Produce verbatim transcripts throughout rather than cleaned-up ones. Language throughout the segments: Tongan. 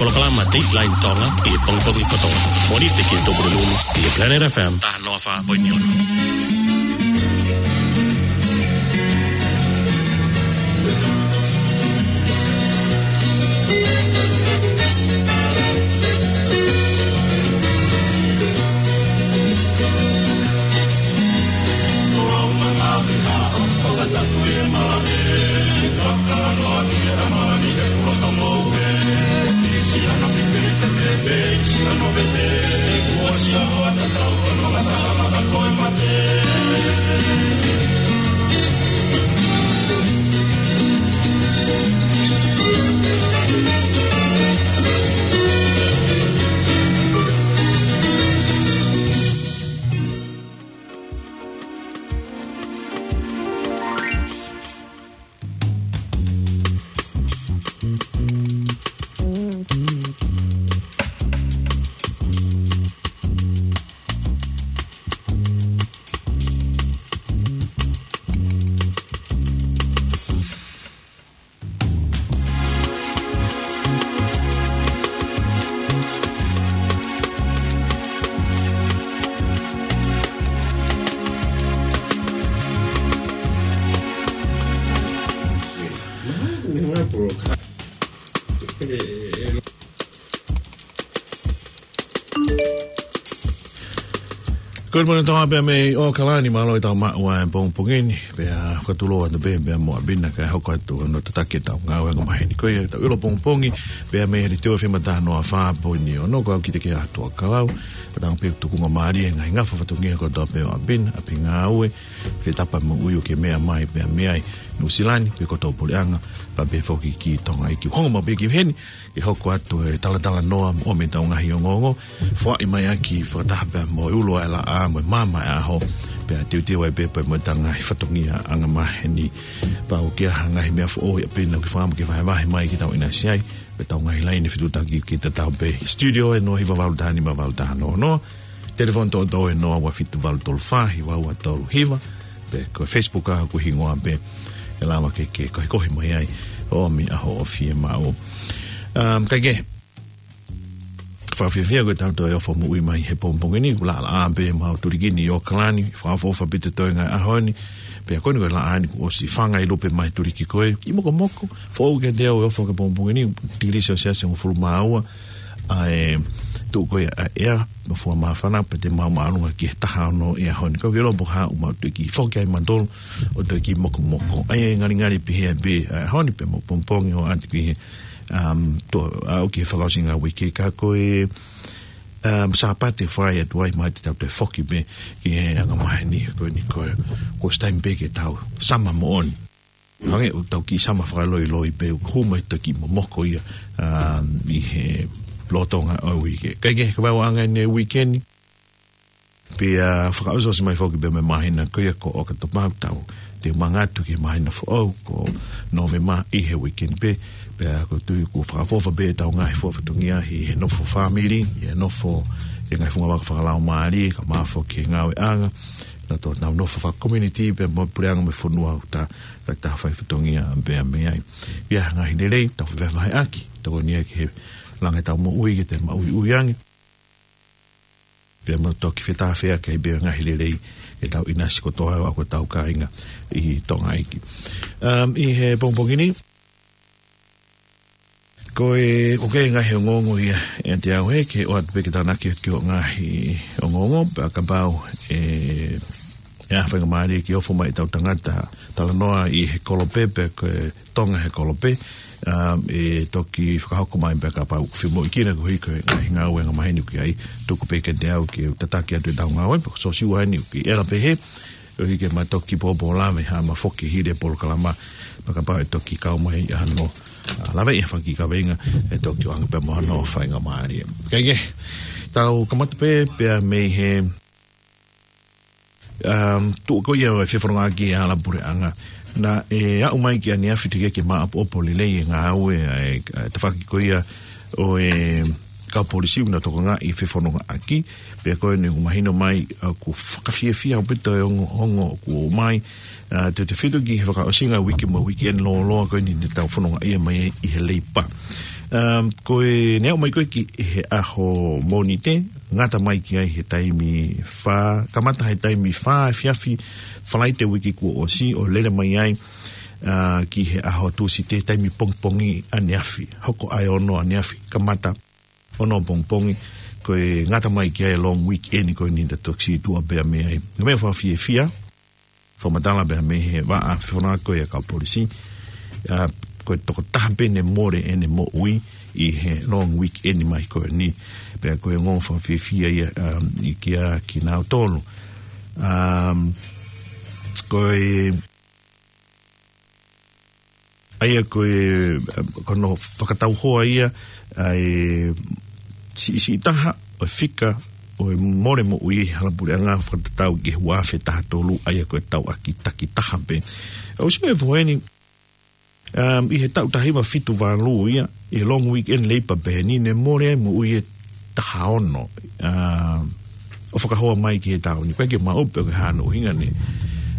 Polokalama Dateline Tonga ʻi he pongipongi kotoa. Mōnite ki he Tupulelulu ʻi he Planet F M taha noa fā poini ono. Good morning, Tonga, pea mei ʻAokalani, mālō e tau maʻu ʻa e pongipongi ni, pea fakatulou atu pē, pea mo ʻApina, kae hoko atu hono tataki e tau ngāue angamaheni ko ia, tau ʻilo pongipongi, pea mei he Leitiō F M taha noa fā poini ono, ko au Kitekeatu ʻAkalau, pea tau pē tukunga mālie, ngaahi ngafa fatongia kotoa pē ʻo ʻApina, ʻapi ngāue, fetapa mo ui ʻoku ke meʻa mai, pea mei ai, Nuʻusila ni, pea ko tau puleʻanga, pea pehē foki ki Tonga ʻEiki. Hongo maʻu pē ki heni, ke hoko atu e talatalanoa mo e tau ngaahi ongoongo. Foaʻi mai ʻaki fakataha pea mo e ulo ʻa e laʻā mo e maama ʻa e ʻaho. Pea teuteu ai pē pea mo e tau ngaahi fatongia angamaheni. Pea ʻoku ʻi ai ha ngaahi meʻa foʻou ʻi ʻApina ʻoku ke fakaʻamu ke vahevahe mai ki tau ʻinasi ai. Pea tau ngaahi laine fetuʻutaki ke tatau pē. Studio ʻe noa hiva valu taha nima valu taha noa noa. Telefoni toʻotoʻo ʻe noa ua fitu valu tolu fā hiva ua tolu hiva. Pea ko e Facebook ʻoku hingoa pē ʻe lava ke ke kohekohe mai ai ʻo ʻomi ʻa hoʻo fiemaʻu. Um, kae kehe, fakafiefia ko e tau toe ʻofa moʻui mai he pongipongi ni, ʻoku laʻalaʻā pē ʻemau tuliki ni ʻi ʻAokalani, fakaʻofoʻofa pē ʻa e toenga ʻaho ni, pea ko eni ko e laʻā ni kuo ʻosi fanga ʻi lupe mai tuliki ko ē, kiʻi mokomoko, foʻou kiate au e ʻofa ki he pongipongi ni, tikilī Selesiasi hongofulu mā ua, ʻa e tuʻu ko ia ʻa e ʻea, mo fua māfana, pea te mau māʻolunga ki he taha ono ʻi he ʻaho ni. Ka ʻoku ke lopo ha u mau tuʻu ki foki ai matolo, ʻo tuʻu ki mokomoko. ʻA ia e ngalingali pehē pē, ʻa e ʻaho ni pea mo pongipongi ʻo ʻoatu ki he, um, to, ʻa, ʻoku ke fakaʻosinga uike ka ko e, um, Sāpate fai atu ai mai te tau toe foki pē ki he angamaheni ko eni ko e, ko e taimi pē ke tau sama moʻoni. Hangē ʻoku tau kiʻi sama fakaloiloi pē ʻoku hū mai toki momoko ia, um, ʻi he lolotonga ʻo e uike. Kae kehe, ko e vaʻa anga eni e uike ni. Pea fakaʻosiʻosi mai foki pē mei he māhina ko ia ko ʻOkatopa, tau toe mangatu ki he māhina foʻou ko Nōvema ʻi he uike ni pē. Pea ʻoku ou tui ʻoku fakaʻofoʻofa pē ʻetau ngaahi fua fatongia ʻi he nofo fāmili, ʻi he nofo ʻi he ngaahi fungavaka fakalaumālie, kae ʻumaʻā foki e ngāueʻanga, naʻa tau nofo fakakomiunitī pea mo e puleʻanga mo e fonua ʻoku ta ka ta fai fatongia pea mei ai. ʻI ai ha ngaahi lelei, tau fefevaheʻaki, tokoni ia ki he langa ʻetau moʻui ke te maʻuiʻui ange. Pea mo toki fetafeʻaki ai pē ngaahi lelei ʻetau ʻinasi kotoa ʻa ko ʻetau kāinga ʻi Tonga ʻEiki. Um, ʻi he pongipongi ni, ko e, ʻoku ʻi ai e ngaahi ongoongo ia ʻiate au he, ke ʻoatu pē ke tānaki ki hoʻo ngaahi ongoongo, pea kapau ʻe, ʻe ʻi ai ha faingamālie ke ʻofa mai ʻetau tangata talanoa ʻi he kolope, pe ko e Tonga he kolope, um, ʻe toki fakahoko mai pea kapau ʻoku fiemaʻu ke na ko e hiko e ngaahi ngāue angamaheni ʻoku ʻi ai, tuku pē kiate au ke u tataki atu ʻetau ngāue, pe ko Sosiua eni ʻoku ʻi ʻEla pehē, ʻoku ʻikai ke ma toki pōpō lave ha ma foki hili e polokalama, pea kapau ʻe toki kau mai ʻa hono, ʻa, lave ʻi he faki kaveinga, ʻe toki ʻoange pē mo hono faingamālie. Kae kehe, tau kamata pē, pea mei he, um, tuʻu ko ia ʻo e fefonongaʻaki ʻa e hala puleʻanga. Naʻe aʻu mai ki ʻaneafi teʻeki ke maʻopoʻopo lelei e ngāue ʻa e, ʻa e tafaʻaki ko ia ʻo e kau polisi ʻoku na tokangaʻi e fefonongaʻaki, pea ko eni ʻoku mahino mai ʻoku fakafiefia ʻaupito e ongoongo ʻoku ʻomai, ʻa, tautautefito ki he fakaʻosinga uike mo e uike ʻeni lōloa ko eni naʻa tau fonongaʻia mai ai ʻi he Leipa. Um, ko e ne aʻu mai ko ē ki he ʻaho Mōnite, ngata mai ki ai he taimi fā, kamata he taimi fā efiafi Falaite uike kuo ʻosi, ʻo lele mai ai, uh, ki he ʻaho Tūsite taimi pongipongi ʻaneafi, hoko ʻa e ono ʻaneafi, kamata ono pongipongi, ko e ngata mai ki ai e long weekend ko eni, ta toki situʻa pea mei ai. Ko e meʻa fakafiefia, fakamatala pea mei he vaʻa fefononga ko ia ʻa e kau polisi, uh, ko e tokotaha pē ne mole ʻene moʻui ʻi he long weekend mai ko eni. Pea ko e ongoongo fakafiefia ia, um, ʻi kia kinautolu. Um, ko e ʻA ia ko e, ko hono fakatauhoa ia ʻa e siʻisiʻi taha ʻo e fika ʻo e mole moʻui he halapuleʻanga fakatatau ki he ua afe taha tolu, ʻa ia ko e tauʻaki takitaha pē. ʻOsi pē foʻi eni, um, ʻi he taʻu taha hiva fitu valu ia, ʻi he long weekend leipa pē eni, ne mole ai moʻui ʻe taha ono, ʻa, ʻo fakahoa mai ki he taʻu ni. ʻOku ʻikai ke maʻu pe ko e hā hono ʻuhinga ne,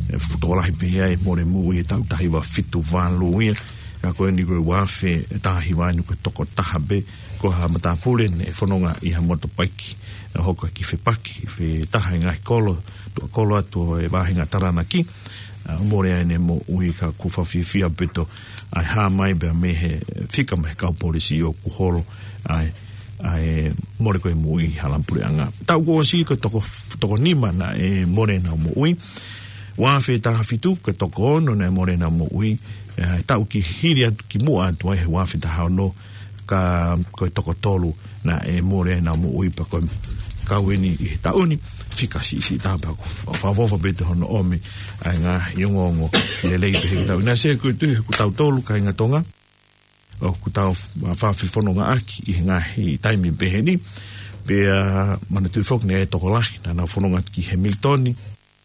ʻe, fuʻu tokolahi pē ia ʻa e mole moʻui he taʻu taha hiva fitu valu ia. Ka ko eni ko e ua afe taha hiva eni ko e tokotaha pē, ko ha matāpule ne fononga ʻi ha motopaiki, ʻa, hoko ki Fepaki, Fetaha, ʻi he ngaahi kolo, tuʻa kolo atu ʻo e vahenga Taranaki, ʻa, mole ai ʻene moʻui. Ka ʻoku fakafiefia ʻaupito ʻa e hā mai pea mei he fika mei he kau polisi ʻoku holo ʻa e, ʻa e mole ko ē moʻui he halapuleʻanga. Taʻu kuo ʻosi ko e toko, toko nima naʻe mole ʻenau moʻui. Ua afe taha fitu ko e toko ono naʻe mole ʻenau moʻui. ʻE, taʻu ki hili atu ki muʻa atu ai he ua afe taha ono, ka ko e toko tolu naʻe mole ʻenau moʻui, pea ko e kau eni ʻi he taʻu ni fika siʻisiʻi taha, pea ʻoku fakaʻofoʻofa pē ʻa hono ʻomi ʻa e ngaahi ongoongo lelei pē he taʻu. Naʻe sio ko e tuʻu he ʻoku tautolu kāinga Tonga ʻoku tau f-, fakafonongaʻaki ʻi he ngaahi taimi pehē ni. Pea manatuʻi foki ne ʻi ai e tokolahi naʻa nau fononga ki Hamilton,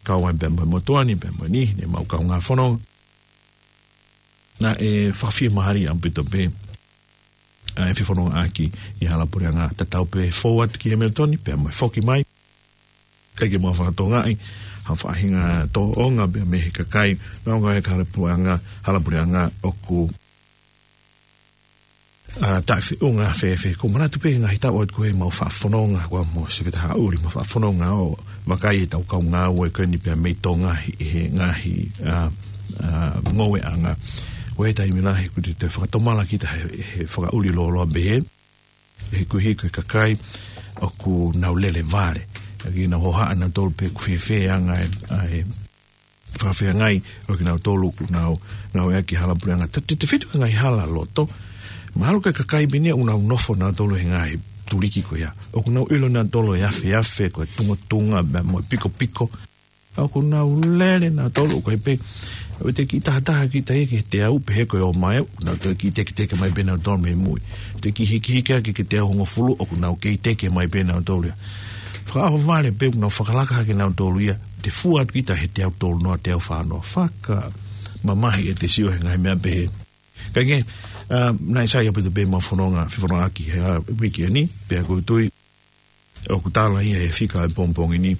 kau ai pea mo e motuʻa ni, pea mo e niʻihi ne mau kaungā fononga. Naʻe fakafiemālie ʻaupito pē ʻa e fefonongaʻaki ʻi he halapuleʻanga, tatau pē fou atu ki Hamilton pea mo e foki mai. ʻIkai ke mau fakatokangaʻi ha faʻahinga tōʻonga pea mei he kakai, naʻa nau ngāue ki he halapuleʻanga, halapuleʻanga ʻoku, ʻa, taʻefeʻunga fēfē. ʻOku ou manatu pē ngaahi taʻu atu ko ē ʻemau faʻa fononga, ko au mo Sefetaha ʻUli, mau faʻa fononga ʻo vakai ʻetau kau ngāue ko eni pea mei Tonga ʻi he ngaahi, ʻa, ʻa, ngoueʻanga. Ko e taimi lahi ʻoku te, te fakatomala kita he, he fakaʻuli lōloa pehē, he koeʻuhi ko e kakai ʻoku nau lele vale. ʻOku nau hohaʻa nautolu pe ʻoku fēfē ʻa e anga ʻa e, ʻa e fakafeangai ʻo kinautolu ʻoku nau, nau ʻi ai ki he halapuleʻanga. Tau tefito ki he ngaahi hala ʻi loto. Mahalo ko e kakai pē eni ʻoku nau nofo nautolu he ngaahi tuliki ko ia, ʻoku nau ʻilo nautolu e afeafe, ko e tungatunga, pea mo e pikopiko. ʻOku nau lele nautolu, ʻoku ʻi ai pē, ʻoku teʻeki tahataha kita ia ki he teau, pehē ko e ō mai, ʻoku nau toe kiʻi teketeke mai pē nautolu mei mui. Teʻeki hikihiki ake ki he teau hongofulu, ʻoku nau kei teke mai pē nautolu ia. Fakaʻohovale pē ʻoku nau fakalaka hake nautolu ia, te fua atu kita he teau tolu noa, teau fā noa. Fakamamahi ʻete sio he ngaahi meʻa pehē. Ka ke, ʻa, naʻe sai ʻaupito pē ʻemau fononga, fefonongaʻaki he, ʻa, uike ni, pea ʻoku ou tui ʻoku tala ia he fika ʻo e pongipongi ni,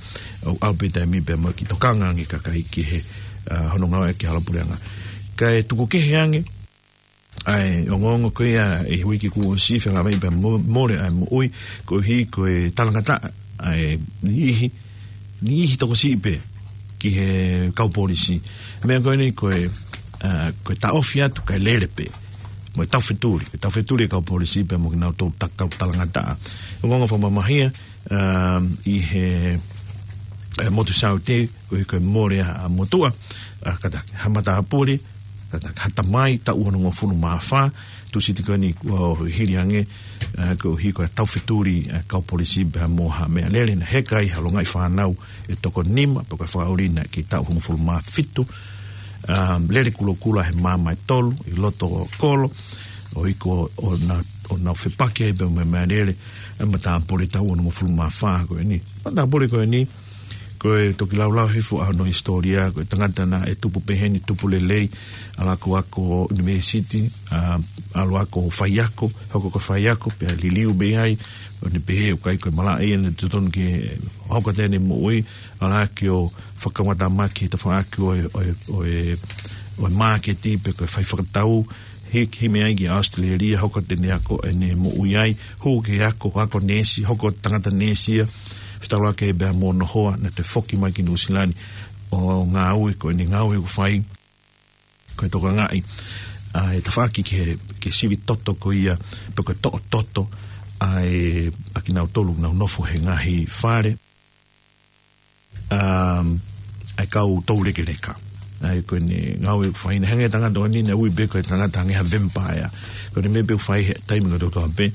ʻoku ʻalu pē taimi pea mo e kiʻi tokanga ange ʻa e kakai ki he, ʻa, hono ngāue ki he halapuleʻanga. Kae tuku kehe ange ʻa e ongoongo ko ia ʻi he uike kuo ʻosi, felāveʻi pea mo-, mole ʻa e moʻui, koeʻuhi ko e talangataʻa ʻa e niʻihi, niʻihi tokosiʻi pē ki he kau polisi. Meʻa ko eni ko e, ʻa, ko e taʻofi atu kae lele pē mo e taufetuli, ko e taufetuli e kau polisi pea mo kinautolu ta-, kau talangataʻa. Ongoongo fakamamahia, um, ʻi he, ʻe, motu Saute, koeʻuhi ko e mole ʻa e motuʻa, ʻa, kātaki ha matāpule, kātaki ha tamai, taʻu onongofulu mā fā, Tūsite ko eni kuo hili ange, ʻa, koeʻuhi ko e taufetuli ʻa e kau polisi pea mo ha meʻalele naʻe heka ai ha longaʻi fānau ʻe toko nima, pea ko e fakaʻuli naʻe kei taʻu hongofulu mā fitu, um, lele kulokula he maama ʻe tolu ʻi loto kolo, ʻo ʻikai ko ʻo na-, ʻo nau fepaki ai pea mo e meʻalele ʻa e matāpule taʻu onongofulu mā fā ko eni. Matāpule ko eni, ko e toki laulau hifo ʻa hono hisitōlia, ko e tangata naʻe tupu pehē ni, tupu lelei, ʻalu ʻo ako ʻunivēsiti, ʻa, ʻalu ʻo ako faiako, hoko ko e faiako, pea liliu mei ai, ʻo ne pehē ʻoku ʻikai ko e malaʻe ia naʻe totonu ke hoko atu ʻene moʻui, ʻalu hake ʻo fakamatamaki he tafaʻaki ʻo e, ʻo e, ʻo e, ʻo e māketi, pe ko e fai fakatau, Hiki mai ai ki ʻAositelēlia, hoko atu ʻene ako ʻene moʻui ai, hū ki he ako, ako neesi, hoko tangata neesi ia, fetaulaki pea mo hono hoa, naʻa ne toe foki mai ki Nuʻusila ni, ʻo ngāue, ko ʻene ngāue ʻoku fai, ko e tokangaʻi ʻa e tafaʻaki ki he, ki he sivi toto ko ia, pe ko e toʻo toto ʻa e, ʻa kinautolu ʻoku nau nofo he ngaahi fale, um, ʻa e kau toulekeleka. ʻA ia ko ʻene ngāue ʻoku fai ʻi he ngaahi tangata ko eni, naʻe ui pē ko e tangata hangē ha vampire. Ko ʻene meʻa pē ʻoku fai he taimi kotoa pē,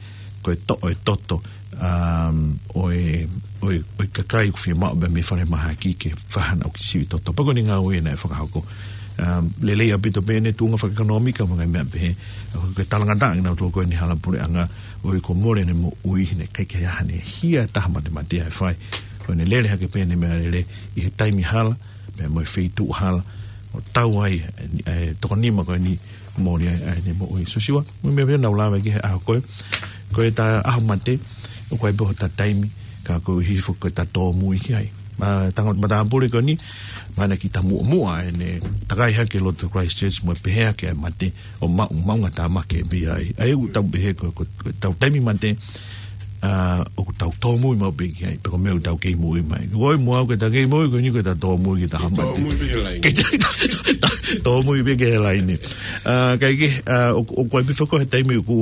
ko e toʻo e toto, um, ʻo e, ʻo e, ʻo e kakai ʻoku fiemaʻu pē mei falemahaki ke fai haʻanau kiʻi sivi toto. Pea ko ʻene ngāue naʻe fakahoko. Um, lelei ʻaupito pē ʻene tuʻunga fakaʻekonōmika mo e ngaahi meʻa pehē. Ko e talangataʻa kinautolu ko eni hala puleʻanga, ʻo e ko mole ne moʻui, naʻe ʻikai ke ʻi ai haʻane hia ʻe taha matematea ʻe fai. Ko ʻene lele hake pē ʻene meʻalele ʻi he taimi hala, pea mo e feituʻu hala, ʻo tau ai, e, e, toko nima ko eni mole ai ʻene moʻui. Sosiua, mo e meʻa pē naʻa ku lave ki he ʻaho ko ē. Ko ʻeta ʻaho mate, ʻoku ʻi ai pē hota taimi, ka ko e hifo ko ʻeta tōmui ki ai. Ma, tango, matāpule ko eni, ma na ki ta muʻomuʻa ʻene takai hake loto Christchurch mo e pehē hake ʻa e mate, ʻo maʻu, maʻungatāmaki pē ai. ʻA ia ʻoku tau pehē ko, ko, ko ʻetau taimi mate, ʻa, ʻoku tau tōmui maʻu pē ki ai, pe ko e meʻa ʻoku tau kei moʻui mai. Ko koe mo au ke ta kei moʻui, ko eni ko ʻeta tōmui ki he ʻaho mate. Tōmui pē ki he laine. Ke ta, ta, tōmui pē ki he laine. ʻA, kae kehe, ʻa, ʻoku, ʻoku ʻi ai pē foki he taimi ʻoku,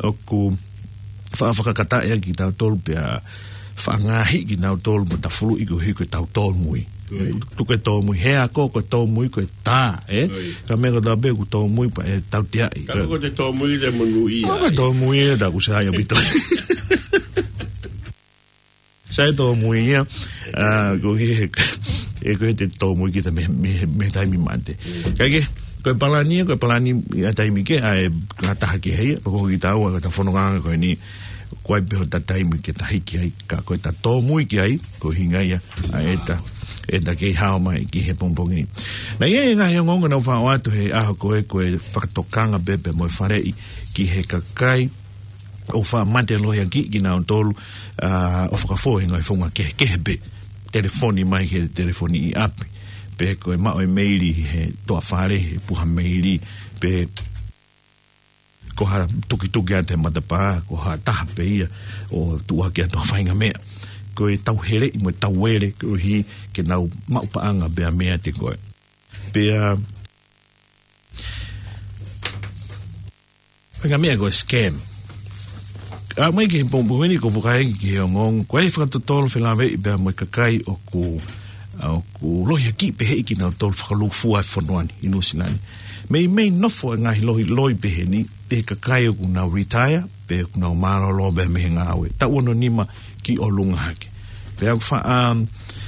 ʻoku fa-, fakakataʻi ʻaki kitautolu pea faʻa ngaahi kinautolu mo tafuluʻi koeʻuhi ko ʻetau tōmui. Tuku e tōmui he ako, ko e tōmui ko e tā, ē? Ka meʻa kotoa pē ʻoku tōmui pea ʻe tauteaʻi. Ka ko e tōmui te monūʻia. Ko e tōmui ē, ta ku sai ʻaupito. Sai tōmui ia, ʻa, koeʻuhi he, he ko e te tōmui kita mei, mei, mei he taimi mate. Kae kehe, ko e palani ia, ko e palani ia taimi kehe, ʻa e ka taha ki he ia, ko kitaua, ko ʻeta fononga ko eni, ʻoku ʻi ai pē hota taimi ke ta hiki ai, ka ko ʻeta tōmui ki ai, ko e ʻuhinga ia, ʻa ʻeta, ʻeta kei hao mai ki he pongipongi ni. Naʻe ʻi ai e ngaahi ongoongo naʻa ku faʻa ʻoatu he ʻaho ko ē, ko e fakatokanga pē pea mo e faleʻi ki he kakai ʻoku faʻa mate lohiakiʻi kinautolu, ʻa, ʻo fakafou he ngaahi founga kehekehe pē. Telefoni mai he telefoni ʻi ʻapi. Pe ko e maʻu e meili he toafale, he puha meili. Pe ko ha tukituki atu he matapā, ko ha taha pē ia ʻo tuʻu hake atu ha faʻahinga meʻa. Ko e tauheleʻi mo e tauele, koeʻuhi ke nau maʻu paʻanga pea meiate koe. Pea, pea ko e meʻa ko e scam. ʻA, mai ki he pongipongi ni ʻoku ou fakaʻeke ki he ongoongo, ko e fakatotolo felāveʻi pea mo e kakai ʻoku, ʻoku lohiakiʻi pehē kinautolu fakalūkufua e fonua ni ʻi Nuʻusila ni. Meimei nofo e ngaahi lohi, lohi pehē ni, ʻi he kakai ʻoku nau retire, pe ʻoku nau mālōlō pē mei he ngāue. Taʻu ono nima ki ʻolunga hake. Pea ʻoku faʻa, um,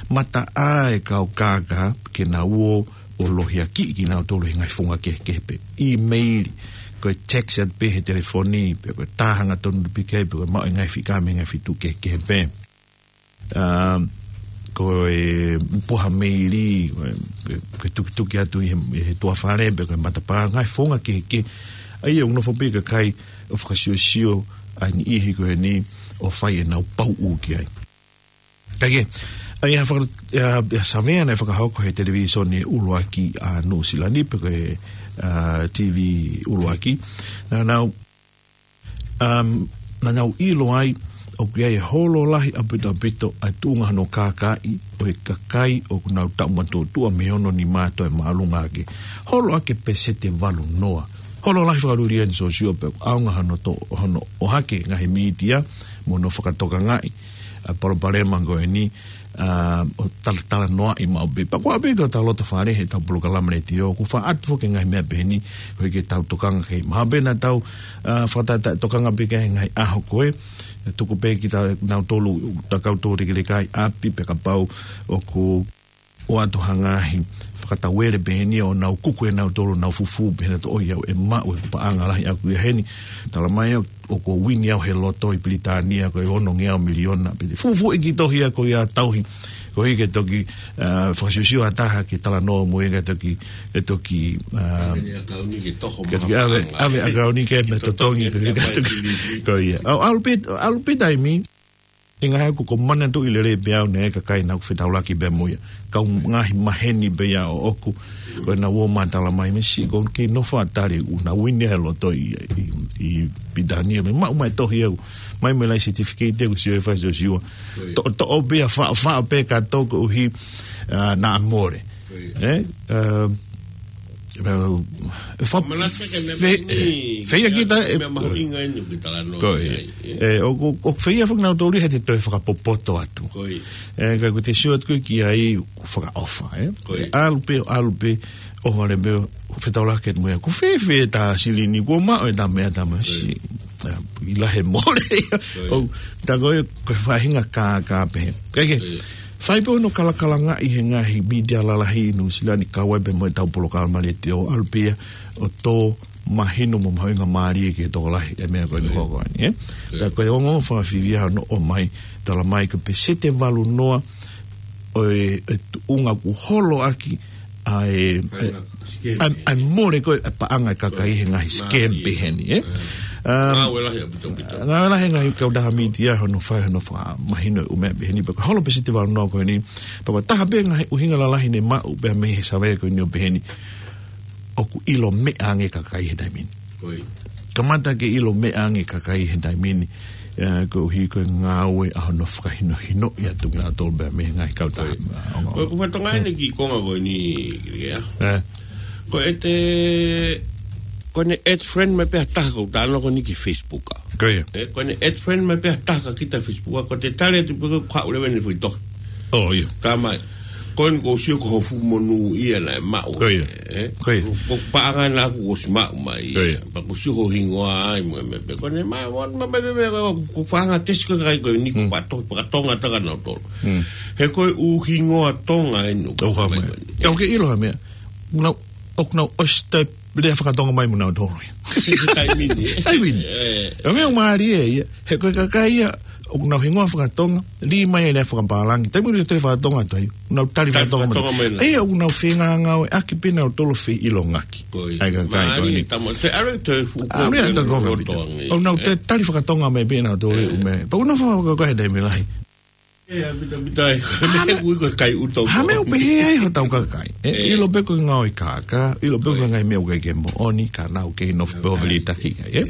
mataʻā e kau kākā ke nau ō ʻo lohiakiʻi kinautolu he ngaahi founga kehekehe pē. ʻImeili, ko e text atu pē he telefoni, pe ko e tā hangatonu pē ki ai, pe ko e maʻu e ngaahi fika mei he ngaahi feituʻu kehekehe pē. Um, ko e puha meili, ko e, ko e tukituki atu ʻi he, ʻi he toafale, pe ko e matapā, ngaahi founga kehekehe. ʻA ia ʻoku nofo pē kakai ʻo fakasiosio ʻa e niʻihi ko eni ʻo fai ʻenau pauʻu ki ai. Kae kehe, ʻa ia faka-, ʻa, ʻa e savea naʻe fakahoko he televīsone ʻuluaki ʻa Nuʻusila ni, pe ko e, ʻa, T V ʻuluaki. Naʻa nau, um, naʻa nau ʻilo ai ʻoku ʻi ai e holo lahi ʻaupito ʻaupito ʻa e tuʻunga hono kākaaʻi ʻo e kakai ʻoku nau taʻu matuʻotuʻa mei he ono nima toe māʻolunga hake. Holo ʻaki e peseti ʻe valu noa. Holo lahi fakalūlia ni sōsiua pea ʻoku ʻaonga hono to-, hono ʻohake ngaahi mītia mo hono fakatokangaʻi ʻa e palopalema ko eni, ʻa, ʻo talatalanoaʻi maʻu pē. Pea ko e ʻapi ko ʻetau loto fale he ʻetau polokalama letiō, ʻoku faʻa ʻatu foki e ngaahi meʻa pehē ni, koeʻuhi ke tau tokanga ki ai. Mahalo pē naʻa tau, ʻa, fakatātā tokanga pē ki ai he ngaahi ʻaho ko ē, tuku pē kitautolu, ta kau toulekeleka ʻi ʻapi pea kapau ʻoku ʻoatu ha ngaahi fakatauele pehē ni ʻo nau kuku ʻe nautolu ʻenau fufū pehē nautolu ʻoiauē, ʻe maʻu e paʻanga lahi ʻaʻaku ia heni. Talamai ʻoku ou uini au he loto ʻi Pilitānia ko e onongeau miliona pē. Fufū e kiʻi tohi ia ko ia tauhi. Koeʻuhi ke toki, ʻa, fakasiosio ha taha ke talanoa mo ia ke toki, ke toki, ʻa, ʻave e ʻakauni ke toho ke toki maha ʻave, paʻanga. ʻAve e ʻakauni ke me totongi, totongi, ke ke toki, totongi. Ko ia. ʻAlu pē, ʻalu pē taimi. ʻIkai ko e manatuʻi lelei pē au naʻe ʻi ai e kakai naʻa ku fetaulaki pē mo ia. Kau ngaahi maheni pē ia ʻoʻoku. Ko ʻenau ō mai ʻo talamai mei siʻi ko e kiʻi nofo ʻa Tali ʻoku na uini he loto ʻi, ʻi, ʻi Pilitānia. Mei maʻu mai tohi au. Mai mei lai certificate ʻeku sio e fai sio siua. Toʻo, toʻo pē ia faʻa, faʻa pē ka toko uhi, ā, naʻa mole. ʻE, ā, ā, e fa-, Manatu ke me fe-, me ʻe, feia ke kita, ʻe, me mahuʻinga ʻeni ke talanoa ko e, ki ai, ʻe. ʻE, ʻoku, ʻoku feia foki nautolu he te toe fakapopoto atu. Ko e. ʻE, ka ko te sio atu ki ai, ʻoku fakaʻofa, ʻe. Ko e. ʻAlu pē, ʻalu pē, ʻo vale pē, fetaulaki mo ia. Ko fē, fē tā silini, ko maʻu e tā meʻa tā masi. Ko e. ʻA, ʻi lahi e mole ia. Ko e. ʻO, tā ko e, ko e faʻahinga kā, kā pē. Kae kehe. Ko e. Fai pē hono kalakalangaʻi he ngaahi mītia lalahi ʻi Nuʻusila ni kau ai pē mo ʻetau polokalama letiō ʻalu pē ia ʻo tō mahino mo mahuʻinga mālie ki he tokolahi e meʻa ko eni ʻoku hoko ʻeni, ʻe? Ko e. Ka ko e ongo fakafiefia hono ʻomai, talamai ko e peseti ʻe valu noa ʻo e, e tuʻunga ʻoku holo ʻaki ʻa e, ʻa e, ʻa e, ʻa e mole ko e paʻanga e kakai he ngaahi scam peheni, ʻe? ʻE. Um, Ngāue lahi ʻaupito, ʻaupito. Ngāue lahi e ngaahi kautaha mītia hono fai, hono fakamahino e ʻū meʻa peheni. Pea ko e holo peseti ʻe valu noa ko eni, pea ko e taha pē ngaahi ʻuhinga lalahi ne maʻu pē mei he savea ko eni ʻo peheni, ʻoku ʻilo meʻa ange e kakai he taimi ni. Ko e. Kamata ke ʻilo meʻa ange e kakai he taimi ni, ʻa, koeʻuhi ko e ngāue ʻa hono fakahinohinoʻi atu kinautolu pē mei he ngaahi kautaha. Ko e. ʻA, ongo. Ko e, ko e fatongia ʻeni ki he konga ko eni, ʻe. Ko e te, ko ʻene add friend mai pē ha taha ko e talanoa ko eni ki he Facebook ʻa. Ko ia. ʻE, ko ʻene add friend mai pē ha taha kia kita he Facebook ʻa, ko e te tali atu pē ko e kau leva ʻene foʻi tohi. ʻO, ia. Talamai. Ko eni ʻoku ou sio ko ho fuʻu monū ia naʻe maʻu. Ko ia. ʻE? Ko ia. Ko e paʻanga naʻa ku ʻosi maʻu mai. Ko ia. Pea ʻoku ou sio ho hingoa ai mo e meʻa pē. Ko ʻene ma, ma, ma, ma, ma, ma, ko e faʻahinga tesi ko e kakai ko eni ko e Mm. faʻa tohi fakatonga atu kia nautolu. Mm. He ko e ʻū hingoa Tonga ʻeni ʻoku ʻOku hā mai mai. ko eni. Ka ʻoku ke ʻilo ha meʻa. Nau, ʻoku nau ʻosi toe lea fakatonga mai mo nautolu. He taimi ni. Taimi ni. ʻE. Ka meʻa ʻoku mālie ia. He ko e kakai ia, ʻoku nau hingoa fakatonga, lī mai e lea fakapālangi. Taimi ʻoku toe fakatonga atu ai, ʻoku nau tali Tali fakatonga mai. fakatonga mai na. ʻE, ʻoku nau fengāngāueʻaki pē nautolu fei ʻilongaki. Ko e. ʻA e kakai ko Mālie eni. tama, te are te fuʻu ʻAre ko atu e ko e fefita. fefita. ʻOku nau ʻE. toe tali fakatonga mai pē nautolu ʻe. ʻū meʻa. Pea ʻoku nau fakakoe he taimi lahi. ʻE, ʻaupito, ʻaupito ai. Hā meʻa ʻoku ʻi ai ko e kai ʻuto. Hā meʻa ʻoku pehē ai hotau kakai. ʻE, ʻE. ʻilo pē ko e ngāue kākā, ʻilo pē ko e ʻOi. ngaahi meʻa ʻoku ʻikai ke moʻoni, ka nau kei nofo pē ʻo ʻOi. vilitaki ai, ʻe?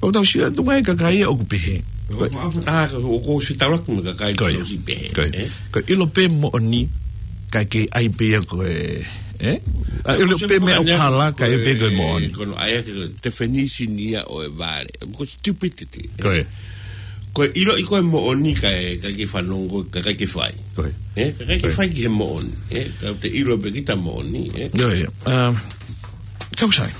ʻOku tau sio atu ki he kakai ʻoku pehē. ʻOku Ko e. ʻoku ʻoku ʻoku ʻoku ʻoku fetaulaki mo e kakai Ko ia. ʻoku ʻosi pehē, Ko ia. ʻE? Ko e ʻilo pē moʻoni, ka ʻikai ke ʻai pē ia ko e, ʻe? ʻA, ʻilo Ko e pē meʻa ʻoku hala, ka ʻai pē ko e moʻoni. Ko hono ʻai ʻaki ko e definition ia ʻo e vale. Ko e stupidity. Ko ia. Ko e ʻiloʻi ko e moʻoni ka ʻikai ke fanongo, ka ʻikai ke fai. Ko ia. ʻE, ka ʻikai ke Ko ia. fai ki he moʻoni. ʻE, ka te ʻilo pē kita moʻoni, ʻe. Ko ia. Um, kau sai.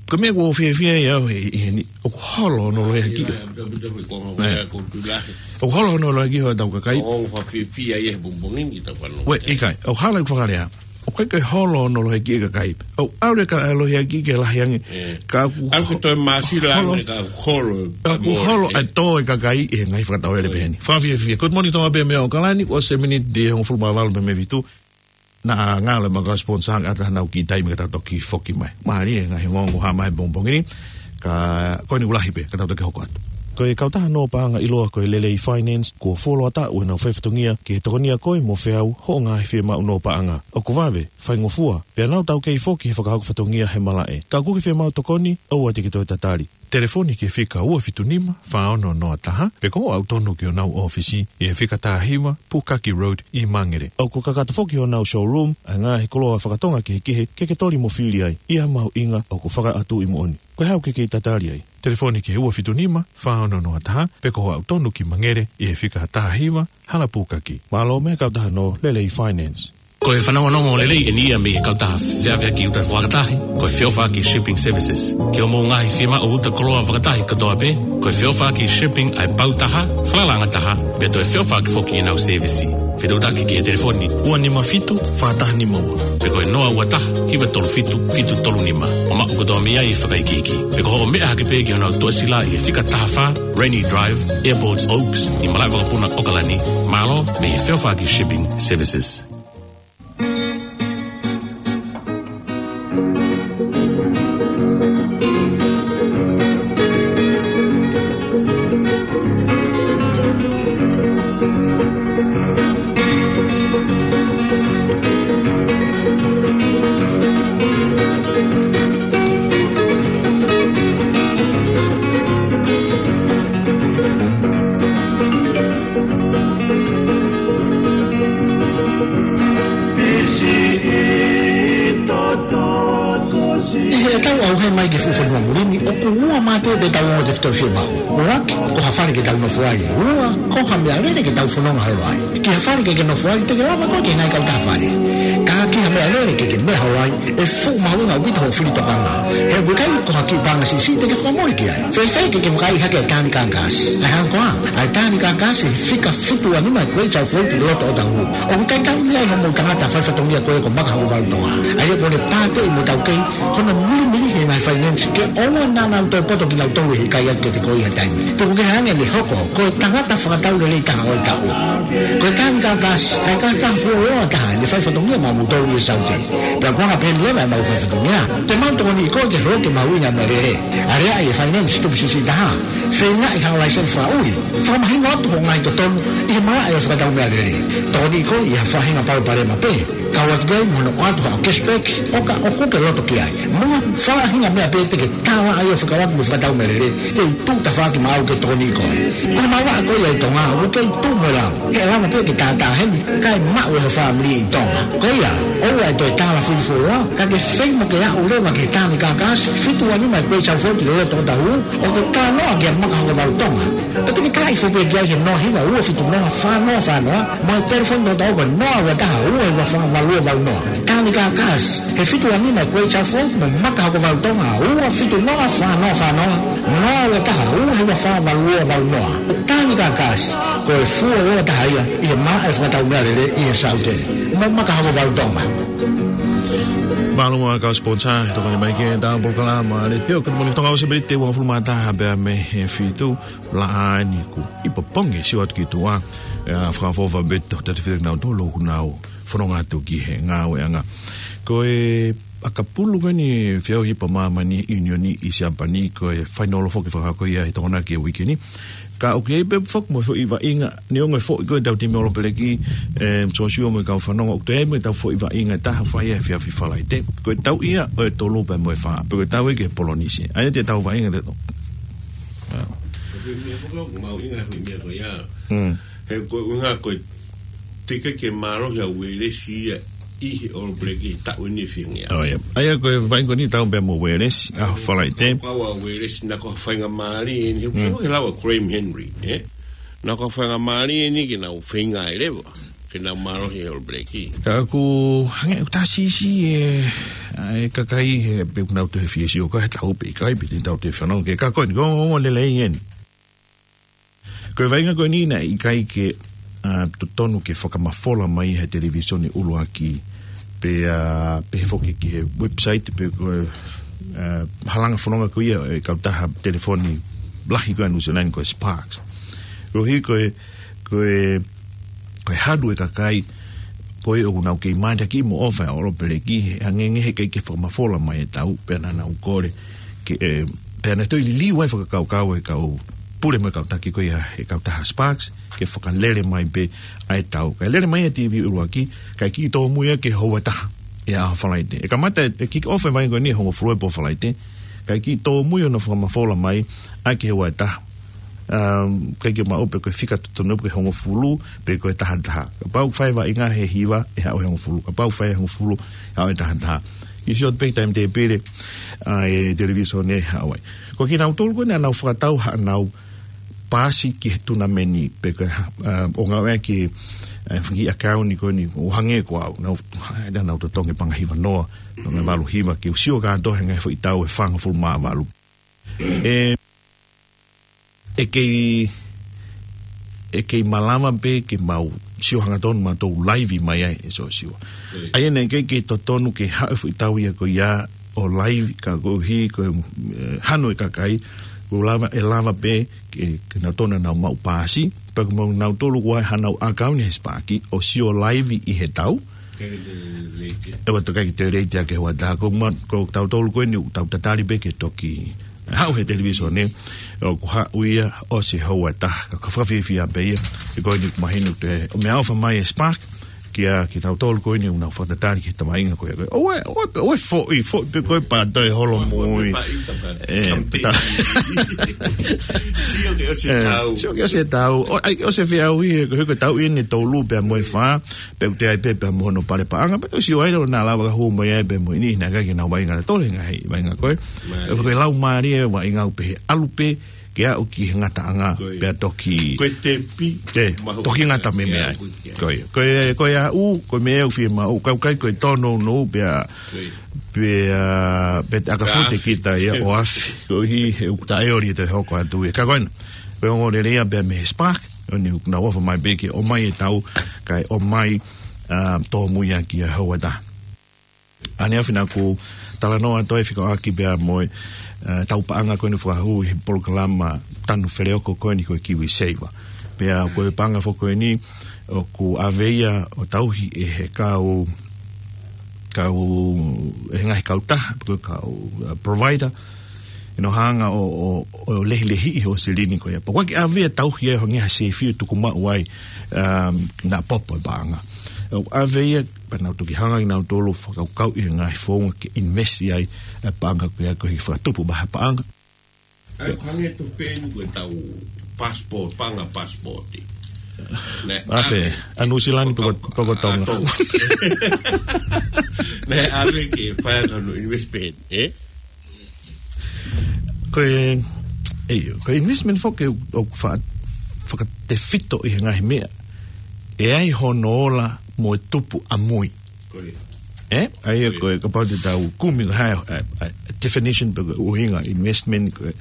Ko e meʻa ʻoku ou fiefia ai au he, he, heni, ʻoku holo hono lohiakiʻi. ʻIa, ʻaupito, ʻaupito, ʻaupito, ko e ngaahi ʻE. meʻa ʻoku ou tui lahi. ʻOku holo hono lohiakiʻi hotau kakai. ʻOku ou fiefia ai he pongipongi ni ki he tau fanongo. ʻOe, ʻikai. ʻOku hala ʻeku fakalea. ʻOku ʻikai ke holo hono lohiakiʻi e kakai. ʻOku ʻalu e ka-, lohiakiʻi ke lahi ange. ʻE. Ka ʻoku ʻAlu ke ho-, toe māsila holo. ange ka ʻoku holo. ʻOku Mole, holo ʻe. ʻa e tō e kakai ʻi he ngaahi fakatauvele Ko ia. peheni. Fakafiefia. Good morning, Tonga pē mei ʻAokalani, ʻoku ʻosi e miniti ʻe hongofulu mā valu pē mei he fitu. Naʻa ngalo e makau sponsor ʻa ʻetau kiʻi taimi ka tau toki foki mai. Mālie e ngaahi ongoongo ʻoku hā mai he pongipongi ni. Ka ko eni ʻoku lahi pē, ka tau toki hoko atu. Ko e kautaha nō paʻanga ʻiloa ko e Lelei Finance, kuo fuoloa taʻu ʻenau faifatongia ke tokonia koe mo feau hoʻo ngaahi fiemaʻu nō paʻanga. ʻOku vave, faingofua, pea nau taukei foki he fakahoko fatongia he malaʻe. Ka ʻoku ke fiemaʻu tokoni, ʻoua te ke toe tatali. Telefoni ki he fika ua fitu nima, fā ono noa taha, pe ko hoʻo aʻu tonu ki honau ʻōfisi, ʻi he fika taha hiva, Pukaki Road, ʻi Mangere. ʻOku kakato foki honau showroom, ʻa e ngaahi koloa fakatonga kehekehe, ke ke toli mo fili ai, ʻi ha mahuʻinga ʻoku fakaʻatuʻi moʻoni. Ko e hā ʻoku ke kei tatali ai? Telefoni ki he ua fitu nima, fā ono noa taha, pe ko hoʻo aʻu tonu ki Mangere, ʻi he fika taha hiva, Hala Pukaki. Mālō mei he kautaha nō Lelei Finance. Ko e fanongonongo lelei ʻeni ia mei he kautaha feʻaveʻaki uta fakatahi, ko e Feʻofaʻaki Shipping Services. Ki hoʻomou ngaahi fiemaʻu uta koloa fakatahi kotoa pē, ko e Feʻofaʻaki Shipping ʻa e pau taha, falalaʻanga taha, pea toe feʻofaʻaki foki ʻenau sēvisi. Fetuʻutaki ki he telefoni ua nima fitu, fā taha nima ua. Pe ko e noa ua taha, hiva tolu fitu, fitu tolu nima. ʻO maʻu kotoa mei ai e fakaikiiki. Pe ko hoʻo meʻa hake pē ki honau toʻasila ʻi he fika taha fā, Rainy Drive, Airport Oaks, ʻi malaʻe vakapuna ʻAokalani, mālō mei he Feʻofaʻaki Shipping Services. Ua mulini, ʻoku ua mate pē tau ongo tefitoʻi fiemaʻu. ʻUluaki, ko ha fale ke tau nofo ai. Ua, ko ha meʻalele ke tau fononga holo ai. Ki ha fale ke ke nofo ai, te ke lava koe ki he ngaahi kautaha fale. Ka ki ha meʻalele ke ke meʻa holo ai, ʻe fuʻu mahuʻinga ʻaupito hoʻo fili tokanga. He ʻoku ʻikai ko ha kiʻi paʻanga siʻisiʻi te ke fakamole ki ai. Fēfē ke ke vakaiʻi hake ʻa e Tanganyika Gas? ʻA e hā koā? ʻA e Tanganyika Gas he fika fitu ua nima ʻa e Great South Road ʻi loto Otahuhu. ʻOku talitali ai hoʻomou tangata faifatongia ko ē ko Maka Hokovalu Tonga. ʻA ia ko ʻene pāteʻi mo taukei hono milimili he ngaahi finance ke ʻoua naʻa nau toe poto kinautolu he ʻikai atu ke te ko ia taimi. Tuku kehe ange ʻene hoko ko e tangata fakatau lelei taha ʻo e taʻu. Ko e Tanganyika Gas, ʻa e kakai fuoloa taha ʻene faifatongia maʻamoutolu ʻi Saute. Pea ko e anga pehē ni leva ʻemau faifatongia, te mau tokoniʻi koe ke holoki e mahuʻinga e meʻalele. Aleaʻi e finance tupu siʻisiʻi taha. Feingaʻi haʻo laiseni fakaʻuli. Fakamahino atu hoʻo ngaahi totonu ʻi he malaʻe ʻo e fakatau meʻalele. Tokoniʻi koe ʻi ha faʻahinga palopalema pē. Kau atu ki ai mo hono ʻoatu haʻo cashback ʻo ka ʻoku ke loto ki ai. Mo ha faʻahinga meʻa pē te ke tala ai ʻo fekauʻaki mo e fakatau meʻalele, te u tuʻu tafaʻaki maʻau ke tokoniʻi koe. Ko e malanga ko ia ʻi Tonga, ʻoku kei tuʻu mo e lau. He ʻe lava pē ke tātā heni, kae maʻu ʻe ho fāmili ʻi Tonga. Ko ia, ʻoua ʻe toe tala fili fuoloa, ka ke feinga ke aʻu leva ki he Tanganyika Gas, fitu ua nima ʻa e Great South Road ʻi loto Otahuhu, ʻo ke talanoa kia Maka Hokovalu Tonga. Pea te ke taaʻi foki ki ai he noa hiva ua fitu noa fā noa fā noa, mo e telefoni tautau ko e noa ua taha ua hiva fā valu ua valu noa. Tanganyika Gas, he fitu ua nima ʻa e Great South Road mo Maka Hokovalu Tonga, ua fitu noa fā noa fā noa, noa ua taha ua hiva fā valu ua valu noa. Tanganyika Gas, ko e fuoloa taha ia ʻi he malaʻe fakatau meʻalele ʻi he Saute. Mo Maka Hokovalu Tonga. Mālō muʻa kau sponsor, tokoni mai ki heʻetau polokalama Letiō Kau Moʻoni Tonga, ʻosi pē te uangofulu mā taha pea mei he fitu, laʻā ni kuo ʻipo ponge sio atu ki tuʻa, ʻa e fakaʻofoʻofa pē ʻo e tefitoʻi fefine nautolu ʻoku nau fononga atu ki he ngāueʻanga. Ko e ʻakapulu ko eni feohi pa māmani ʻiunioni ʻi Siapani, ko e fainolo foki fakahoko ia he Tokonaki ʻo e uike ni. Ka ʻoku ʻi ai pē foki mo e foʻi vaʻinga, neongo e foʻi ko ʻetau timi ʻOlopeleki, ē, Sōsiua mo e kau fanongo, ʻoku toe ʻi ai mo ʻetau foʻi vaʻinga ʻe taha fai he efiafi Falaite. Ko e tau ia ʻo e tolu pea mo e fā, pe ko e tau ia ki he Polinisia. ʻA ia te tau vaʻinga te tau. ʻA. Ko e meʻa ko ʻemau ʻuhinga he meʻa ko ia. Mm. He ko e ʻuhinga ko e teʻeki ke mālohi ʻa Uēlesi ia ʻi he ʻOlopeleki he taʻu ni feinga. ʻO ia. ʻA ia ko e vaʻinga ko eni tau pē mo Uēlesi, ʻa Falaite. Kau ʻa Uēlesi naʻa ko ha faingamālie eni, he Mm. ko e lau ʻa Graham Henry, ē? Naʻa ko ha faingamālie eni ke nau feinga ai leva, ke nau mālohi he ʻOlopeleki. Ka ʻoku hangē ʻoku tā siʻisiʻi e, ʻa e kakai he pe ʻoku nau toe fie sio ka he tau pē, ʻikai pē te tau toe fanongo ki he ka ko eni, ko e ongoongo lelei eni. Ko e vaʻinga ko eni naʻe ʻikai ke, ʻa, totonu ke fakamafola mai he televīsone ʻuluaki, pe, ʻa, pe foki ki he website, pe ko e, ʻa, halanga fononga ko ia e kautaha telefoni lahi ko ē ʻa Nuʻu Sila ni ko e Sparks. Koeʻuhi ko e, ko e, ko e halu e kakai, ko ē ʻoku nau kei mātaki mo ʻofa ʻa e ʻOlopeleki, he hangē he ʻikai ke fakamafola mai e tau, pea naʻa nau kole, ke, ē, pea naʻe toe liliu ai fakakaukau e kau pule mo e kau taki ko ia he kautaha Sparks, ke fakalele mai pē ʻa e tau. Kae lele mai ʻa e TV ʻuluaki, kae kiʻi tōmui ia ki he houa ʻe taha ʻi he ʻaho Falaite. ʻE kamata ʻe kick off e vaʻinga ko eni he hongofulu e pō Falaite, kae kiʻi tōmui hono fakamafola mai ʻa e ki he houa ʻe taha. Um, ʻikai ke maʻu pe ko e fika totonu pe ko e hongofulu, pe ko e taha taha. Kapau fai vaʻinga he hiva, ʻe haʻu he hongofulu. Kapau fai hongofulu, haʻu he taha taha. Kiʻi sio pē ki he taimi tēpile ʻa e televīsone ʻe haʻu ai. Ko kinautolu ko ē naʻa nau fakatau haʻanau paasi ki he tunameni pe ko e, ʻa, ʻo ngāueʻaki, ʻa, fanga kiʻi ʻakauni ko eni, ʻo hangē ko au, nau, naʻa nau totongi paʻanga hiva noa, paʻanga valu hiva, ke u sio kātoa he ngaahi foʻi tau ʻe fāngofulu mā valu. ʻE, ʻe kei, ʻe kei malava pē ke mau sio hangatonu mautolu laivi mai ai ē Sōsiua. ʻIo. ʻA ia naʻe ʻikai ke totonu ke haʻu e foʻi tau ia ko ia ʻo laivi ka koeʻuhi ko e, ē, hanu e kakai, ko e lava, ʻe lava pē ke, ke nau tona nau maʻu paasi, pea ko mau nautolu ko ē hanau ʻakauni he Sparks, ʻo sio laivi ʻi he tau. ʻE ua tokai ke te leiti ake he houa ʻe taha, ko ma, ko tautolu ko eni, tau tatali pē ke toki haʻu he televīsone, ʻoku haʻu ia ʻosi e houa ʻe taha, ka ko e fakafiefia pē ia, he ko eni ʻoku mahino te, ʻo meʻaʻofa mai e Sparks, kia kinautolu ko eni ʻoku nau fakatatali ki he tamainga ko ia. ʻOua, ʻoua, ʻoua foʻi, foʻi pē ko e pā toe holo mui. Ē, pā. Sio ke ʻosi e tau. Sio ke ʻosi e tau. ʻOku ʻikai ke ʻosi e feʻauhi he ko e tau eni tolu pea mo e fā. Pea ʻoku toe ʻi ai pē pea mo hono pale paʻanga. Pea tau sio ai leva naʻa lava ka hū mai ai pea mo eni naʻa ʻikai ke nau vaʻinga tole ngaahi vaʻinga ko ē. Ko e lau mālie vaʻinga ʻoku pehē ʻalu pē ke aʻu ki he ngataʻanga pea toki. Ko e tepi. Ē, toki ngata mei ai. Ko ia, ko e, ko e aʻu, ko e meʻa ʻoku fiemaʻu, ʻoku ʻikai ko e tōnounou pea, pea, pea ʻaka fute kita ia ʻo afe. Koeʻuhi he ʻoku taʻeoli e toe hoko atu ia. Ka ko ena, ko e ongoongolelei ia pea mei he Spark, ʻoku nau ʻofa mai pē ke ʻomai e tau, kae ʻomai, ā, tōmui ʻaki ʻa e houa ʻe taha. ʻAneafi naʻa ku talanoa atu ai fekauʻaki pea mo e, ē, tau paʻanga ko eni ʻoku fakahū ʻi he polokalama tanu feleoko ko eni ko e KiwiSaver. Pea ko e paʻanga foki ko eni ʻoku ʻave ia ʻo tauhi ʻe he kau, kau, ʻe he ngaahi kautaha, ko e kau, ē, provider, ʻi hono hanga ʻo, ʻo, ʻo lehilehiʻi hoʻo silini ko ia. Pea ʻoku ʻikai ke ʻave ia ʻo tauhi ai ʻo hangē ha sefi ʻo tuku maʻu ai, um, naʻa popo e paʻanga. ʻOku ʻave ia pea nau toki hanga ʻe kinautolu ʻo fakakaukauʻi e ngaahi founga ke invest ai e paʻanga ko ia koeʻuhi ke fakatupu mai ha paʻanga. ʻA ia, hangē ko e tau passport, paʻanga passport. Naʻe ʻave, ʻa Nuʻu Sila ni pea ko, pea ko Tonga. Naʻe ʻave ke fai ʻaki hono investment, ē? Ko e, ē, ko e investment foki ʻoku fa-, fakatefito ʻi he ngaahi meʻa ʻe ʻi ai hono ola mo e tupu ʻamui. Ko ia. Ē? ʻA ia ko e, kapau te tau kumi ko e hā, ē, ē, definition pe ko e ʻuhinga investment ko e,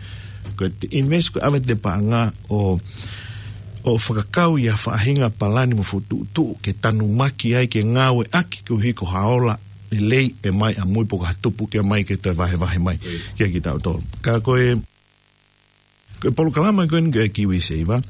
ko e te invest ko e ʻave ʻete paʻanga ʻo, ʻo fakakau ʻi ha faʻahinga palani mo fokotuʻutuʻu ke tanumaki ai ke ngāueʻaki koeʻuhi ko ha ola lelei ʻe ʻomai ʻamui pe ko ha tupu ke ʻomai ke toe vahevahe mai kia kitautolu. Ka ko e, ko e polokalama ko eni ko e KiwiSaver,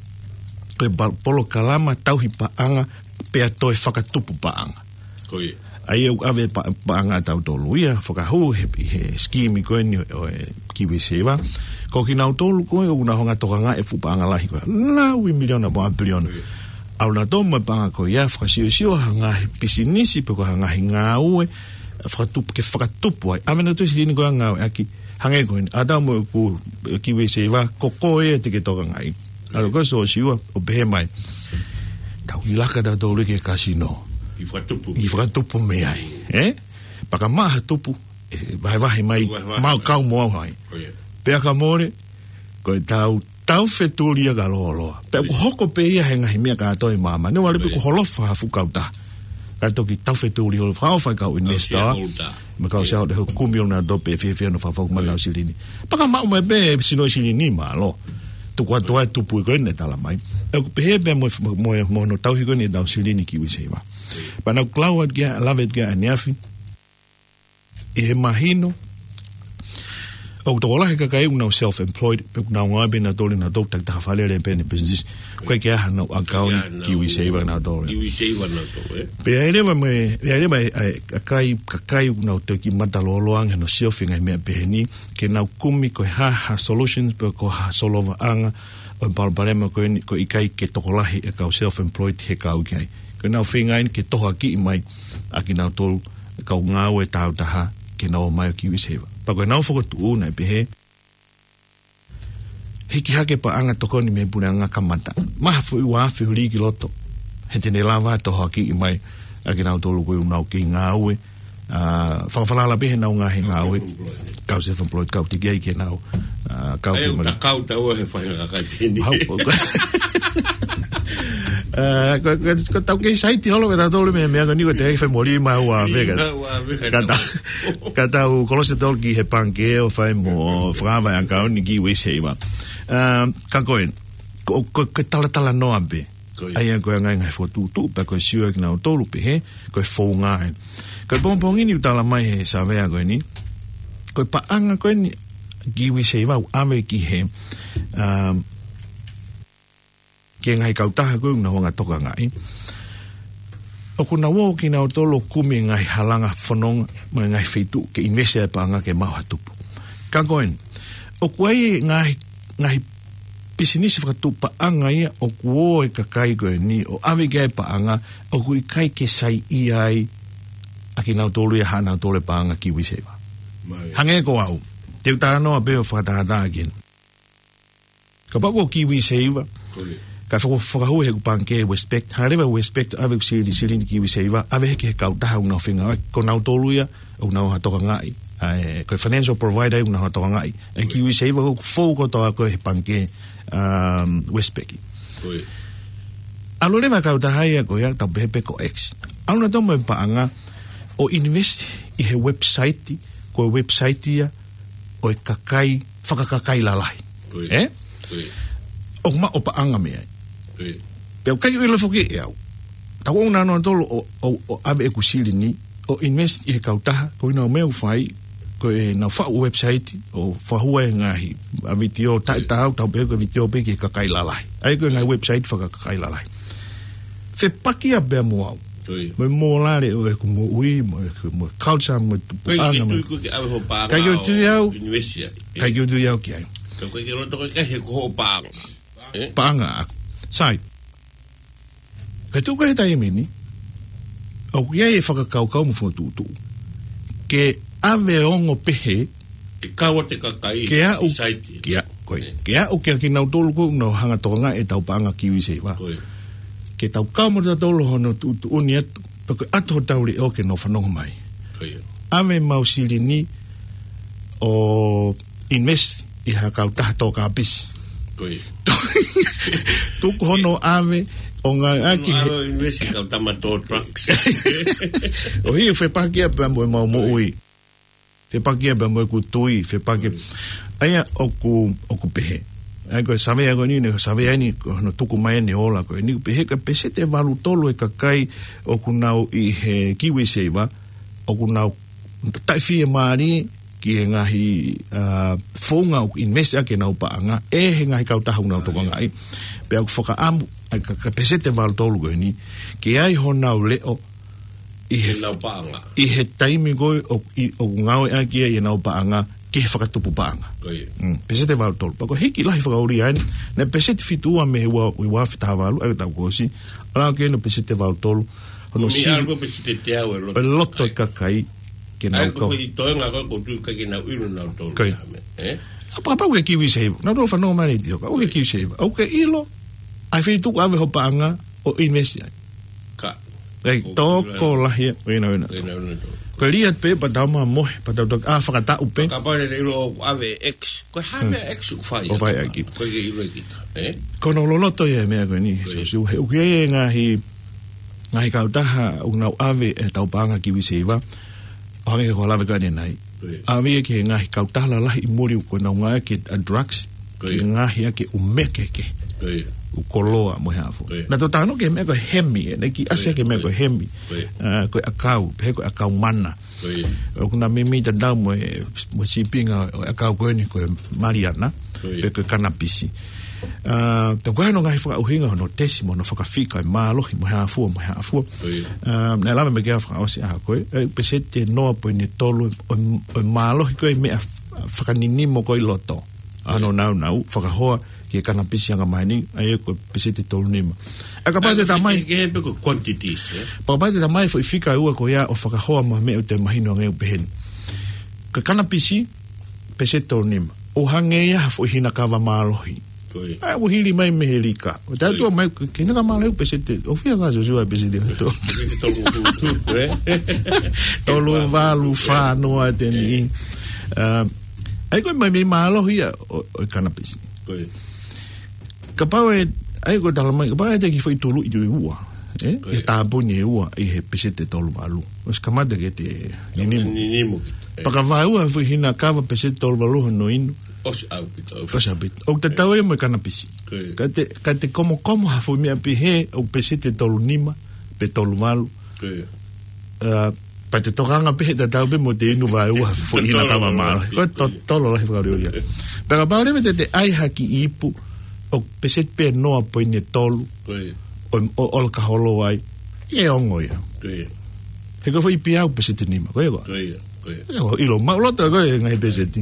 ko e pa-, polokalama tauhi paʻanga pea toe fakatupu paʻanga. Ko ia. ʻA ia ʻoku ʻave pa-, paʻanga ʻatautolu ia, fakahū he, he scheme ko eni ʻo e KiwiSaver. Ko kinautolu ko ē ʻoku nau hanga ʻo tokangaʻi e fuʻu paʻanga lahi ko ē. Laui miliona mo e piliona. Ko ia. ʻAlu nautolu mo e paʻanga ko ia, fakasiosio ha ngaahi pisinisi pe ko ha ngaahi ngāue, fakatupu, ke fakatupu ai. ʻAve nautolu e silini ko ia ʻo ngāueʻaki, hangē ko eni, ʻa tau mo e ku, KiwiSaver, ko koe ia te ke tokangaʻi. ʻAlu ko ē ʻo siosio, ʻo pehē mai. Tau ʻi laka tautolu ki he kasino. ʻI fakatupu. ʻI fakatupu mei ai, ē? Pea ka maʻu ha tupu, ʻe vahevahe mai, vahevahe mai. Mau kau mo au ai. Ko ia. Pea ka mole, ko e tau, tau fetulia ka lōloa. Pea ʻoku hoko pē ia he ngaahi meʻa kātoa ʻi māmani. Neongo pē ʻoku holofa ha fuʻu kautaha. Ka toki tau fetulia holo, fakaʻofa e kau investor. Kau shareholder. Mo e kau shareholder he ʻoku kumi ʻo nau tō pē fiefia ʻo nau fakafou mai ʻenau silini. Pea ka maʻu mai pē sino silini mālō. Tuku atu ai e tupu ko eni ʻe tala mai. ʻOku pehē pē mo, mo, mo hono tauhi ko eni ʻetau silini KiwiSaver. Pea naʻa ku lau atu ki ai, lave atu ki ai ʻaneafi. ʻI he mahino, ʻoku tokolahi e kakai ʻoku nau self-employed, pe ʻoku nau ngāue pē nautolu, nautolu takitaha fale lelei pē ʻenau business. ʻOku ʻikai ke ʻi ai haʻanau account ʻi he KiwiSaver nautolu. KiwiSaver nautolu, ē? Pea ʻi ai leva mo e, ʻi ai leva e, e, kakai, kakai ʻoku nau toki mata lōloa ange hono siofi e ngaahi meʻa pehē ni, ke nau kumi ko e hā ha solutions pe ko ha solovaʻanga ʻo e palopalema ko eni, ʻoku ʻikai ke tokolahi e kau self-employed he kau ki ai. Ko ʻenau feinga eni ke tohoakiʻi mai ʻa kinautolu e kau ngāue tāutaha ke nau ō mai ʻo KiwiSaver. Pea ko ʻenau fokotuʻu naʻe pehē, hiki hake paʻanga tokoni mei he puleʻanga kamata. Maha foʻi ua afe huli ki loto. He te ne lava ʻo tohoakiʻi mai ʻa kinautolu ko ē ʻoku nau kei ngāue. ʻA, fakafalala pē heʻenau ngaahi ngāue. Kau self-employed, kau tiki ai ke nau. ʻA, kau ʻE, ke mali. Takau tau he faʻahinga kakai peheni. Hau, ko, ko, ko, ko tau kei saiti holo ke tau tolu mei he meʻa ko eni ko e te fai mo lima ua afe ka. Lima ua afe ka. Ka tau, ka tau kolosi tolu ki he pangikē ʻo fai mo fakaava e account ʻi he KiwiSaver. ʻA, ka ko e, ko, ko, ko e talatalanoa pē. Ko ia. ʻA ia ko e ngaahi ngaahi fokotuʻutuʻu, pea ko e sio ʻa kinautolu pē he, ko e founga ē. Ko e pongipongi ni ʻoku tala mai he savea ko eni. Ko e paʻanga ko eni KiwiSaver ʻoku ʻave ki he, um, ki he ngaahi kautaha ko ē ʻoku nau hanga ʻo tokangaʻi. ʻOku nau ō kinautolu ʻo kumi e ngaahi halanga fononga, mo e ngaahi feituʻu ke invest ai e paʻanga ke maʻu ha tupu. Ka ko eni, ʻoku ʻi ai e ngaahi, ngaahi pisinisi fakatuʻupaʻanga ia ʻoku ō e kakai ko eni ʻo ʻave ki ai e paʻanga, ʻoku ʻikai ke saiʻia ai ʻa kinautolu ia haʻanautolu e paʻanga KiwiSaver. Hangē ko au, te u talanoa pē ʻo fakatātā ki ai. Kapau ko e KiwiSaver, ka faka-, fakahū ʻe heʻeku pangikē Westpac, hanga leva Westpac ʻo ʻave ʻeku silini, silini KiwiSaver, ʻave hake ki he kautaha ʻoku nau fengāueʻaki, ko nautolu ia ʻoku nau hanga ʻo tokangaʻi. ʻA e, ko e financial provider ʻoku nau hanga ʻo tokangaʻi. ʻA e KiwiSaver ʻoku fou kotoa ko ē he pangikē, um, Westpac. ʻAlu leva e kautaha ia ko ia, tau pehē pē ko X. ʻAlu nautolu mo e paʻanga ʻo invest ʻi he website, ko e website ia ʻo e kakai, fakakakai lalahi. ʻE? ʻOku maʻu paʻanga mei ai. Pea ʻoku ʻikai ke u ʻilo foki ʻe au. Tau ō nautolu ʻo, ʻo, ʻo ʻave ʻeku silini ʻo invest ʻi he kautaha, ko ʻenau meʻa ʻoku fai, ko ʻenau faʻu website, ʻo fakahū e ngaahi, ʻa e vitiō, taʻe tau, tau pehē ko e vitiō pē ki he kakai lalahi. ʻA ia ko e ngaahi website fakakakai lalahi. Fepaki ia pea mo au. Mo e mōlale ʻo ʻeku moʻui, mo ʻeku, mo e culture, mo e tupuʻanga, mo e ʻikai ke u tui au ki ai. Ka ʻoku ʻikai ke u loto ko e ʻikai he ko hoʻo paʻanga. Paʻanga ʻaku. Sai. Ka tuku he taimi ni, ʻoku ʻi ai e fakakaukau mo e fokotuʻutuʻu ke ʻave ongo pehē, ke kau atu e kakai ke aʻu, ki saiti. Ke aʻu, ko e, ke aʻu kia kinautolu ko ē ʻoku nau hanga ʻo tokangaʻi ʻetau paʻanga KiwiSaver. Ke tau kau mo tautolu hono tuʻutuʻuni atu, pea ko e ʻoatu hotau leʻo ke nau fanongo mai. ʻAve ʻemau silini ʻo invest ʻi ha kautaha tō kapisi. Tuku hono ʻave ʻo ngāueʻaki he, ʻo invest ʻi ha kautaha tō drugs. ʻOku fepaki ia pea mo ʻemau moʻui. Fepaki ia pea mo ʻeku tui, fepaki. ʻA ia ʻoku, ʻoku pehē. ʻA ia ko e savea ko eni, ne savea ni, ko hono tuku mai ʻene ola ko eni, ʻoku pehē ko e peseti ʻe valu tolu e kakai ʻoku nau ʻi he KiwiSaver, ʻoku nau taʻefiemālie ki he ngaahi, ʻa, founga ʻoku invest ʻaki ʻenau paʻanga, ʻe he ngaahi kautaha ʻoku nau tokangaʻi. Pea ʻoku fakaʻamu, ʻa e ka, ka peseti ʻe valu tolu ko eni, ke ʻi ai honau leʻo, ʻi he, ʻenau paʻanga. ʻI he taimi ko ē ʻoku, ʻi, ʻoku ngāueʻaki ai ʻenau paʻanga, ki he fakatupu paʻanga. Mm, peseti ʻe valu tolu. Pea ko e hiki lahi fakaʻuli ai, naʻe peseti fitu ua mei he ua, ua afe taha valu, ʻa ia ʻoku tau kuo ʻosi, ʻalu ki ai hono peseti ʻe valu tolu, hono si-, ʻa ia ko e peseti ʻe teau ʻe loto. ʻE loto e kakai, ke nau kau. ʻA ia ko e toenga ko ē ʻoku ou tui ʻikai ke nau ʻilo nautolu ia me, ʻe? ʻA pea kapau ko e KiwiSaver, nautolu fanongo mai ʻi Sioka, ʻoku ke KiwiSaver, ʻoku ke ʻilo ʻa e feituʻu ʻoku ʻave hoʻo paʻanga ʻo invest ai. Ka. ʻIkai, tokolahi ia, ʻo ina, ʻo ina. Ko e lia pē, pea tau mamohe, pea tau toki, ʻa, fakataʻu pē. Kapau lele ʻilo ʻoku ʻave X, ko e hā meʻa X ʻoku fai. ʻOku fai ʻaki. ʻOku ʻikai ke ʻilo ʻe kita, ʻe? Ko hono loloto ia e meʻa ko eni, Siosiua, he ʻoku ʻi ai e ngaahi, ngaahi kautaha ʻoku nau ʻave ʻetau paʻanga KiwiSaver, ʻo hangē ko e lave ko eni ʻanenai. ʻAve ia ki he ngaahi kautaha lalahi ʻi muli ʻoku nau ngāueʻaki ʻa e drugs, ke ngaahi ʻaki ʻū meʻa kehekehe. ʻŪ koloa mo e hā fua. Naʻa tau talanoa ki he meʻa ko e hemi, ʻe, naʻe kiʻi ʻasi ki he meʻa ko e hemi. ʻA, ko e ʻakau, pehē ko e ʻakau mana. ʻOku na meimei tatau mo e, mo e sīpinga ʻo e ʻakau ko eni ko e maliana, pe ko e kanapisi. ʻA, pea ko e hā hono ngaahi fakaʻuhinga hono tesi mo hono fakafika e mālohi mo e hā fua, mo e hā fua. ʻA, naʻe lave mai ki ai fakaʻosi ʻaho ko ē, ʻe, peseti ʻe noa poini tolu ʻo, ʻo e mālohi ko ē meʻa f-, fakaninimo ko ē ʻi loto. ʻA hono naunau, fakahoa ki he kanapisi angamaheni, ʻa ia ko e peseti ʻe tolu nima. ʻA, kapau te ta mai. Ke, ke pe ko e quantities, ʻe? Kapau te ta mai foʻi fika ʻe ua ko ia ʻo fakahoa mo e meʻa ʻoku te mahino ange ʻoku pehē ni. Ko e kanapisi, peseti ʻe tolu nima. ʻO hangē ia ha foʻi hina kava mālohi. ʻA, ʻoku hili mai mei he lika. ʻO taʻetuʻu mai, ko e hina kava mālohi peseti, ʻoku fiha ka Siosiua peseti ʻe tolu. Tolu valu fā noa te ni. ʻA, ʻa ia ko e meimei mālohi ia ʻo, ʻo e kanapisi. Kapau ʻe, ʻa ia ko e tala mai, kapau ʻe ʻai atu e kiʻi foʻi tuluʻi ʻe ua, ʻe? ʻE tāpuni ʻe ua ʻi he peseti ʻe tolu valu. ʻOsi kamata ke te ninimo. Ninimo kita. Pea ka vaeua foʻi hina kava peseti ʻe tolu valu hono inu. ʻOsi ʻaupito, ʻaupito. ʻOsi ʻaupito. ʻOku tatau ia mo e kanapisi. Ka te, ka te komokomo ha foʻi meʻa pehē ʻoku peseti ʻe tolu nima, pe tolu valu. ʻA, pea te tokanga pē he tatau pē mo te inu vaeua ha foʻi hina kava mālohi. Ko e totolo lahi fakalio ia. Pea kapau leva te te ʻai ha kiʻi ipu ʻoku peseti pē ʻe noa poini tolu ʻo, ʻo, ʻo ka holo ai. ʻE ongo ia. He ko e foʻi ipu ia ʻoku peseti ʻe nima. Ko ia ko ē. ʻE, ʻoku ʻilo maʻuloto ko e ngaahi peseti.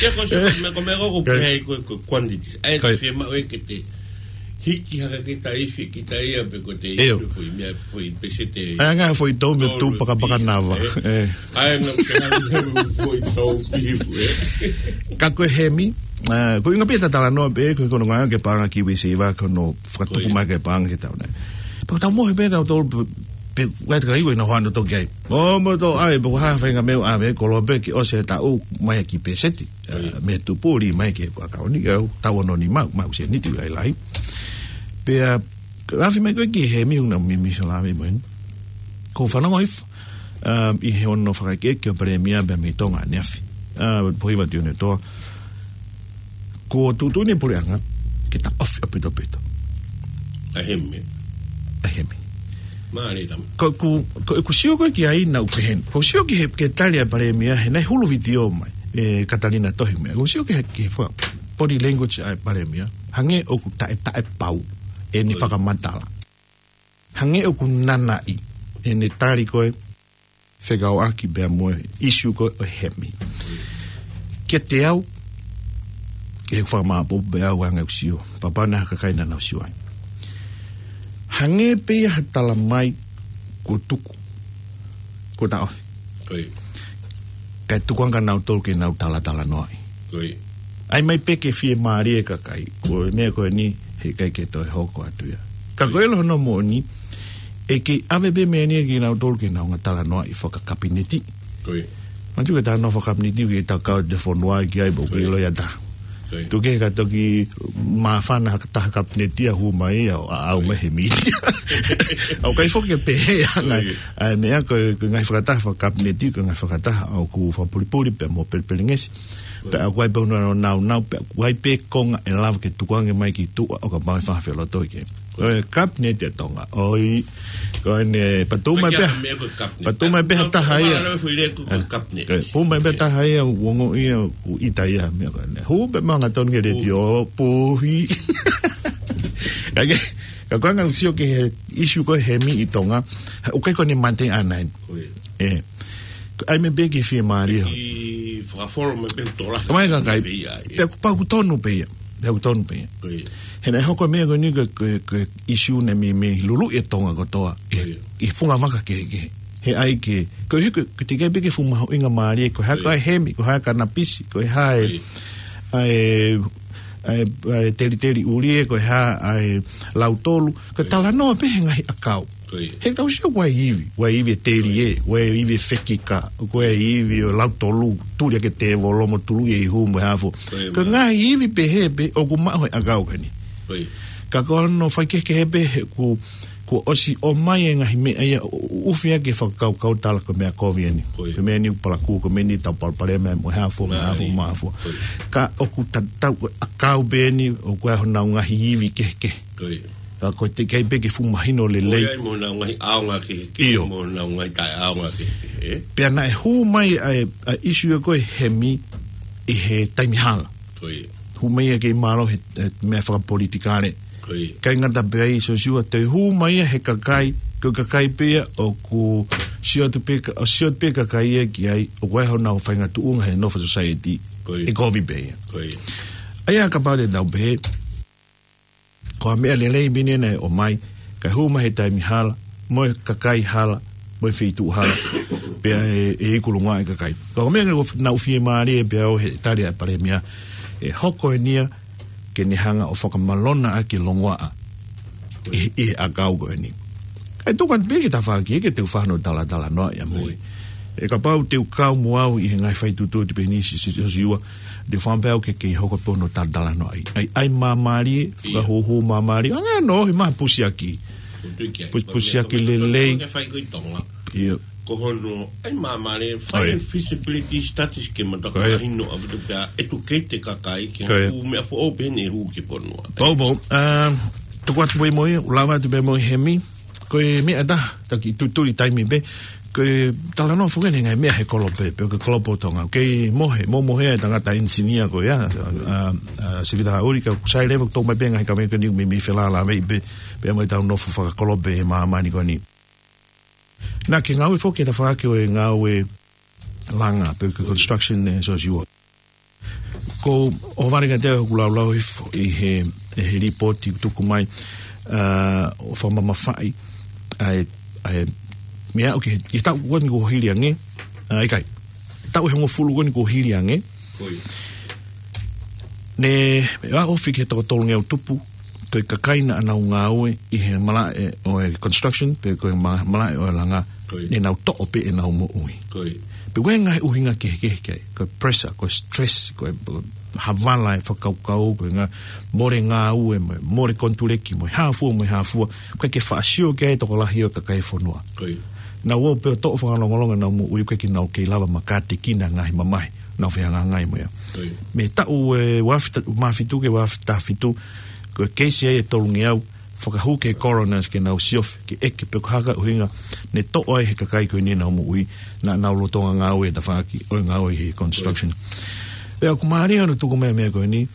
E ko so, me ko, me ko, ko pehē ko, ko quantities. ʻA ia, ko e fiemaʻu ke te hiki hake kita ifi, kita ia pe ko te ifi foʻi meʻa, foʻi peseti. ʻA ia ngaahi foʻi tau me tolu pakapakanava. ʻA ia ngā ke hanga he foʻi tau pifu, ē. Ka ko e hemi, ʻa, ko e ʻuhinga pē ʻeta talanoa pē, ko e konga ke paʻanga ki Vesiva ko hono fakatupu mai ke paʻanga ke tau nei. Pea ko tau mohe pē tau tolu pe, pe, wai te kai ko ina hoano toki ai. Mo, mo to ai, pe ko ha faʻahinga meʻa ʻave, ko lo pe ki ʻosi e taʻu mai ki peseti. ʻA, mei tupu ʻo ʻomai ke ko ʻakauni, ʻa, tau ono ni mau, mau se niti lailai. Pea, ʻa, afi mai ko e ki he miu na mi, mi so la mi mo en. Ko fanongo ifo, ʻa, ʻi he ono fakaʻekeʻeke ʻo palēmia pea mei Tonga ʻaneafi. ʻA, pohi vati one toa. Ko tuʻutuʻuni puleʻanga, ke ta ofi ʻaupito ʻaupito. ʻA hemi. ʻA hemi. Mālie tama. Ko, ko, ko, ko sio ko e ki ai nau peheni. Ko sio ki he, ke tali ʻa palēmia, he naʻe hulu vitiō mai. ʻE Katalina Tohi mai. Ko sio ki he, ki he fa-, body language ʻa palēmia. Hangē ʻoku taʻe, taʻe pau. ʻEne fakamatala. Hangē ʻoku nanaʻi. ʻEne tali ko e fekauʻaki pea mo e ʻisiū ko e hemi. Kiate au, ʻe fakamāpopo pē au anga ʻeku sio. Papa na kakai na nau sio ai. Hangē pē ia ha tala mai ko tuku. Ko ta ofi. Kae tuku ange nautolu ke nau talatalanoaʻi. ʻAi mai pē ke fiemālie e kakai. Ko e meʻa ko eni, he ʻikai ke toe hoko atu ia. Ka ko e ʻilo hono moʻoni, ʻe kei ʻave pē meʻa ni ke nautolu ke nau ngaahi talanoaʻi fakakapineti. Mātuʻaki talanoa fakakapineti ke ta kau te fonua ki ai pē ke ʻilo ia ta. Tuku ke ka toki māfana ha taha kapineti ʻa hū mai ʻo ʻaʻau mai he miti. ʻOku ʻikai foki ke pehē ʻa e ngaahi, ʻa e meʻa ko e, ko e ngaahi fakataha fakakapineti, ko e ngaahi fakataha ʻoku fakapulipuli pea mo pelepelengesi. Pea ʻoku ʻi ai pē hono naunau, pea ʻoku ʻi ai pē konga ʻe lava ke tukuange mai ki tuʻa ʻo kapau ʻe fakafelotoi ke. Ko e kapineti ʻa Tonga. ʻOi, ko ʻene patu mai pē, patu mai pē ha taha ia. Patu mai pē ha taha ia, ʻoku ongo ia, ʻoku ʻita ia, meʻa ko ʻene. Hū pē manga tonu ke leti ʻo puhi. Ka ke, ka ko ʻanga ʻoku sio ki he ʻisiū ko e hemi ʻi Tonga, ʻoku ʻikai ko ʻene mate ʻana eni. ʻE. ʻAi mai pē ke fiemālie. Ke fakafolo mai pē tola. Ka mai ka kai. Pea ʻoku pau ʻoku tonu pē ia. Pea ʻoku tonu pē ia. He naʻe hoko meʻa ko eni ko e, ko e, ko e ʻisiū naʻe mei, mei luluʻi e Tonga kotoa. ʻE, ʻi he funga vaka kehekehe. He ʻai ke, ko e hiko, ko e teʻeki ai pē ke fuʻu mahuʻinga mālie, ko e hā ko e hemi, ko e hā e kanapisi, ko e hā e, ʻa e, ʻa e, ʻa e teliteli ʻuli ē, ko e hā ʻa e lautolu, ko e talanoa pē he ngaahi ʻakau. He tau sio ko e ivi, ko e ivi e teli ē, ko e ivi e fekika, ko e ivi ʻo lautolu, tuli ake tēvolo mo tulu ʻi he hū mo e hafo. Ko e ngaahi ivi pehē pē ʻoku maʻu he ʻakau ko eni. Ka ko hono faikehekehe pē he ʻoku, kuo ʻosi ʻomai e ngaahi meʻa ia ʻo, ʻo ʻufi ake fakakaukau tala ko e meʻa kovi eni. Ko e meʻa ni ʻoku palakū, ko e meʻa ni tau palopalema mo e hafo, mo e hafo, mo e hafo. Ka ʻoku tatau ko e ʻakau pē eni ʻoku ʻi ai honau ngaahi ivi kehekehe. Ka ko e teʻeki ai pē ke fuʻu mahino lelei. Ko ia mo honau ngaahi ʻaonga kehekehe, mo honau ngaahi taʻeʻaonga kehekehe, ē? Pea naʻe hū mai ʻa e, ʻa e ʻisiū ko e hemi ʻi he taimi hala. Hū mai ia kei mālō he, he meʻa fakapolitikale. ʻIkai ngata pē ai Siosiua, toe hū mai ia he kakai, ko e kakai pē ia ʻoku sio atu pē ka-, ʻo sio atu pē kakai ia ki ai, ʻoku ʻi ai honau faʻahinga tuʻunga he nofo society. ʻE kovi pē ia. ʻA ia kapau te tau pehē, ko ha meʻa lelei pē eni naʻe ʻomai, kae hū mai he taimi hala, mo e kakai hala, mo e feituʻu hala, pea ʻe, ʻe iku longoaʻa e kakai. Ka ko e meʻa ke naʻa ku fiemālie pē au he tali ʻa e palēmia, ʻe hoko eni ia ke ne hanga ʻo fakamalona ʻaki e longoaʻa ʻi, ʻi he ʻakau ko eni. Kae tuku atu pē ki he tafaʻaki ke te u fano talatalanoa ia mo e. ʻE kapau te u kau mo au ʻi he ngaahi faituʻutuʻu te penisi Siosiua, te u fano pē au ke, ke hoko pē hono talatalanoa ai. ʻAi, ʻai māmālie, fakahūhū māmālie. Anga no, he maha pusiaki. Pusi-, pusiaki lelei. Ko hono, ʻai māmālie, fai feasibility studies ke mata ko e hino ʻaupito pea educate e kakai ke hū meʻa foʻou pē eni ʻe hū ki he fonua. Pau, pau. ʻA, tuku atu pē mo ia, ʻo lava atu pē mo e hemi. Ko e meʻa ʻe taha, taki tutuli taimi pē. Ko e talanoa foki eni ngaahi meʻa he kolope, pe ko e kolope ʻo Tonga. Kei mohe, mo mohe e tangata engineer ko ia, ʻa, ʻa, ʻa Sivita Haʻuli, ka sai leva tō mai pē ngaahi kaveinga ko eni mei, mei felālāveʻi pē, pea mo e tau nofo fakakolope he māmani ko eni. Naʻa ke ngāue foki he tafaʻaki ʻo e ngāue langa, pe ko e construction ē Siosiua. Ko ʻohovale kiate au ʻeku laulau hifo ʻi he, ʻi he lipooti ʻoku tuku mai, ʻa, ʻo fakamamafaʻi ʻa e, ʻa e meʻa ʻoku ke, ke taʻu ko eni kuo hili ange, ʻa, ʻikai. Taʻu ʻe hongofulu ko eni kuo hili ange. Ko ia. Ne, ʻa ofi ki he toko tolungeau tupu, ko e kakai naʻa nau ngāue ʻi he malaʻe ʻo e construction, pe ko e ma-, malaʻe ʻo e langa, Ko ia. ne nau toʻo pē ʻenau moʻui. Ko ia. Pea ko e ngaahi ʻuhinga kehekehe ki ai, ko e pressure, ko e stress, ko e, ko e havala e fakakaukau, ko e ngaahi mole ngāue, mo e mole konituleki, mo e hā fua, mo e hā fua, ʻoku ʻikai ke faʻa sio ki ai e tokolahi ʻo e kakai e fonua. Ko ia. Nau ō pē ʻo toʻo fakalongolongo ʻenau moʻui, ʻoku ʻikai ke nau kei lava makātekina e ngaahi mamahi, nau fehangahangai mo ia. Ko ia. Mei he taʻu ʻe uaafe, mā fitu ki he uaafe taha fitu, ko e keisi ai ʻe tolungeau, fakahū ki he coroners ke nau siofi, ke ʻeke pe ko e hā e ʻuhinga ne toʻo ai ʻe he kakai ko eni ʻenau moʻui, naʻa nau lolotonga ngāue he tafaʻaki ʻo e ngāue he construction. Pea ʻoku mālie hono tuku mai e meʻa ko eni,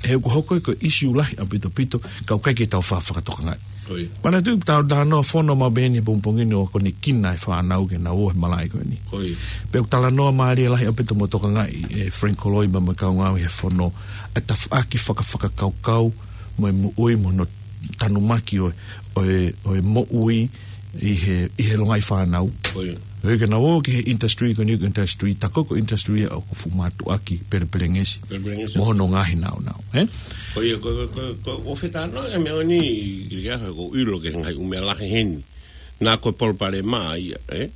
he ʻoku hoko ia ko e ʻisiū lahi ʻaupito ʻaupito, ka ʻoku ʻikai ke tau faʻa fakatokangaʻi. Ko ia. Manatuʻi ʻoku tau talanoa fono maʻu pē eni he pongipongi ni ʻo akonekina e fānau ke nau ō he malaʻe ko eni. Ko ia. Pea ʻoku talanoa mālie lahi ʻaupito mo tokangaʻi ʻe Frank Koloi mo e kau ngāue he fono, ʻa e tafaʻaki fakafakakaukau, mo e moʻui, mo hono tanumaki ʻo, ʻo e, ʻo e moʻui ʻi he, ʻi he longaʻi fānau. Ko ia. ʻOku ʻikai ke nau ō ki he industry ko eni, ko e industry, tā ko e industry ʻoku fuʻu mātuʻaki pelepelengesi. Pelepelengesi. Mo hono ngaahi nāunau, ē? Ko ia, ko, ko, ko, ko, ʻoku ou fie talanoa e meʻa ni, ʻi he ʻaho ko e ʻilo ki he ngaahi ʻū meʻa lahi heni. Naʻa ko e palopalema ia, ē?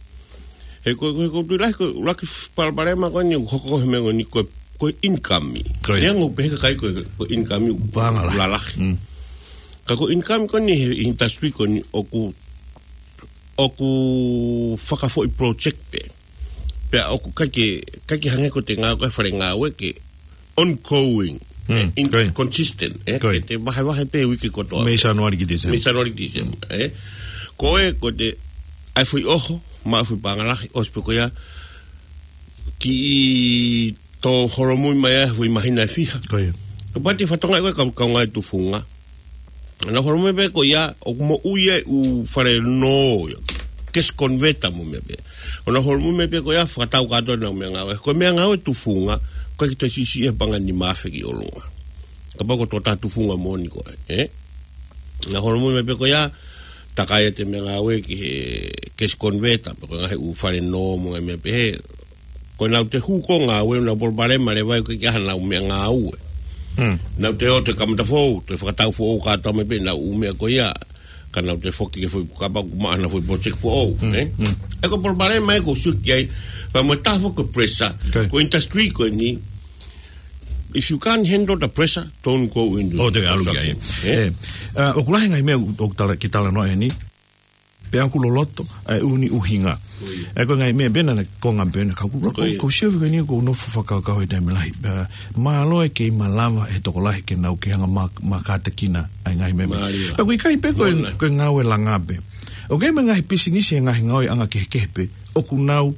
He ko, ko, ko e tui lahi, ko e ʻuluaki palopalema ko eni, hoko he meʻa ko eni, ko, ko e income. Ko ia. Ia ʻoku pehē ʻe he kakai ko, ko e income ʻoku Paʻanga lahi. lalahi. Mm. Ka ko e income ko eni he industry ko eni ʻoku, ʻoku fakafoʻi project pē. Pea ʻoku ʻikai ke, ʻikai ke hangē ko e ngāue ko e fale ngāue ke ongoing, Mm, eh, in-, ko ia. consistent, eh, Ko ia. ke te vahevahe pē uike kotoa. Mei Sānuali ki Tīsema. Mei Sānuali ki Tīsema, eh. Ko e, ko e te, ʻai foʻi ʻoho, maʻu foʻi paʻanga lahi, ʻosi pē ko ia, kiʻi tō holomui mai ai foʻi māhina ʻe fiha. Ko ia. Kapau te fatongia ko e kau, kaungā tufunga. Nau holomui pē ko ia, ʻoku moʻui ai e ʻū fale nō ia. Gas converter mo e meʻa pē. ʻO nau holomui mai pē ko ia, fakatau kātoa ʻenau meʻangāue. Ko e meʻangāue tufunga, ʻoku ʻikai ke toe siʻisiʻi e paʻanga ʻe nima afe ki ʻolunga. Kapau ko e tokotaha tufunga moʻoni koe, eh? Nau holomui mai pē ko ia, takai ʻete meʻangāue ki he gas converter, pe ko e ngaahi ʻū fale nō mo e ngaahi meʻa pehē. Ko ʻenau toe hū ko e ngāue, ʻenau palopalema leva ʻoku ʻikai ke ʻi ai haʻanau meʻangāue. Hmm. Nau toe ō ʻo kamata foʻou, toe fakatau foʻou kātoa mai pē ʻenau ʻū meʻa ko ia, ka nau toe foki ki he foʻi kapau ʻoku maʻu haʻanau foʻi project foʻou, Hmm. eh? Hmm. ʻA ia ko e palopalema ia ʻoku ou sio ki ai, pea mo e taha foki ko e pressure, Okay. ko e industry ko eni, if you can't handle the pressure, don't go into Oh, te alu ki ai. construction, eh? Eh, ah, ʻoku lahi e ngaahi meʻa ʻoku tala, ke talanoa heni. Pea ʻoku loloto ʻa e ʻū ʻuhinga. Ko ia. ʻA ia ko e ngaahi meʻa pē naʻa na konga pē na kau kula Ko ia. ʻoku ou sio ki ai ʻoku ou nofo fakakaukau he taimi lahi. Pea mālō e kei malava e tokolahi ke nau kei hanga mā-, mākātekina ʻa e ngaahi meʻa. Mālie. Pea ʻoku ʻikai pē ko e, Mona. ko e ngāue langa pē. ʻOku ʻi ai mo e ngaahi pisinisi he ngaahi ngāueʻanga kehekehe pē. ʻOku nau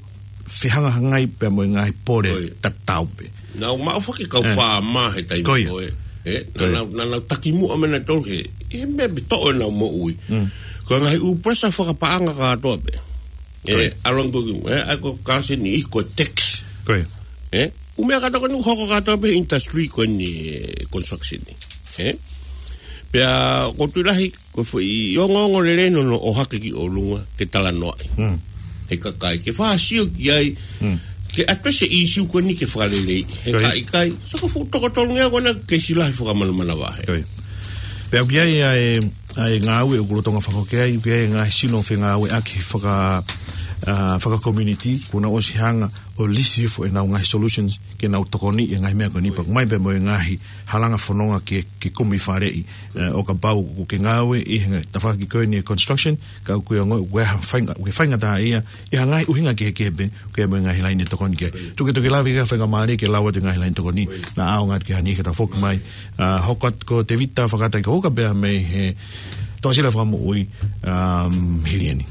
fehangahangai pea mo e ngaahi pole Ko ia. tatau pē. Nau maʻu foki e kau Eh. faama he taimi Ko ia. ko ē. Eh, Ko ia. naʻa nau, naʻa nau takimuʻa mei he tolu he, he meʻa pē toʻo ʻenau moʻui. Mm. Ko e ngaahi ʻū pressure fakapaʻanga kātoa pē. Ko ia. Eh, ʻalu ange ko e, eh, ʻa ia ko e kasi ni ko e tax. Ko ia. Eh, ʻū meʻa kātoa ko eni hoko kātoa pē industry ko eni, eh, construction ni. Eh? Pea ʻoku ou tui lahi, ko e foʻi ongoongo lelei ʻoku nau ō hake ki ʻolunga ke talanoaʻi. Mm. He kakai, ke fakasio ki ai, Mm. ke address e issue ko eni ke fakalelei. He Ko ia. ka ʻikai, saka fuʻu toko tolungeau ko ena keisi lahi fakamanamanavahe. Ko ia. Pea ʻoku ʻi ai ʻa e, ʻa e ngāue ʻoku lolotonga fakahoko ai, ʻoku ʻi ai e ngaahi sino fengāueʻaki faka-, ah, faka-community, kuo nau ʻosi hanga ʻo lisi hifo ʻenau ngaahi solutions, ke nau tokoniʻi e ngaahi meʻa ko eni Ko ia. pea ʻoku ʻomai pē mo e ngaahi halanga fononga ke, ke kumi faleʻi, eh, ʻo kapau ʻoku ke ngāue ʻi he tafaʻaki ko eni e construction, ka ʻoku ke ongoʻi ʻoku ke ha-, fainga-, ʻoku ke faingataʻaʻia, ʻi ha ngaahi ʻuhinga kehekehe pē, ʻoku ʻi ai mo e ngaahi laine tokoni ki ai. Tuku, tuku ke lave ki he faingamālie ke lau atu e ngaahi laine tokoni, naʻa ʻaonga atu ki heni ka ta foki mai, ah, hoko atu ko Tevita Fakataikahuka pea mei he Toʻasila Fakamoʻui, um, hili eni.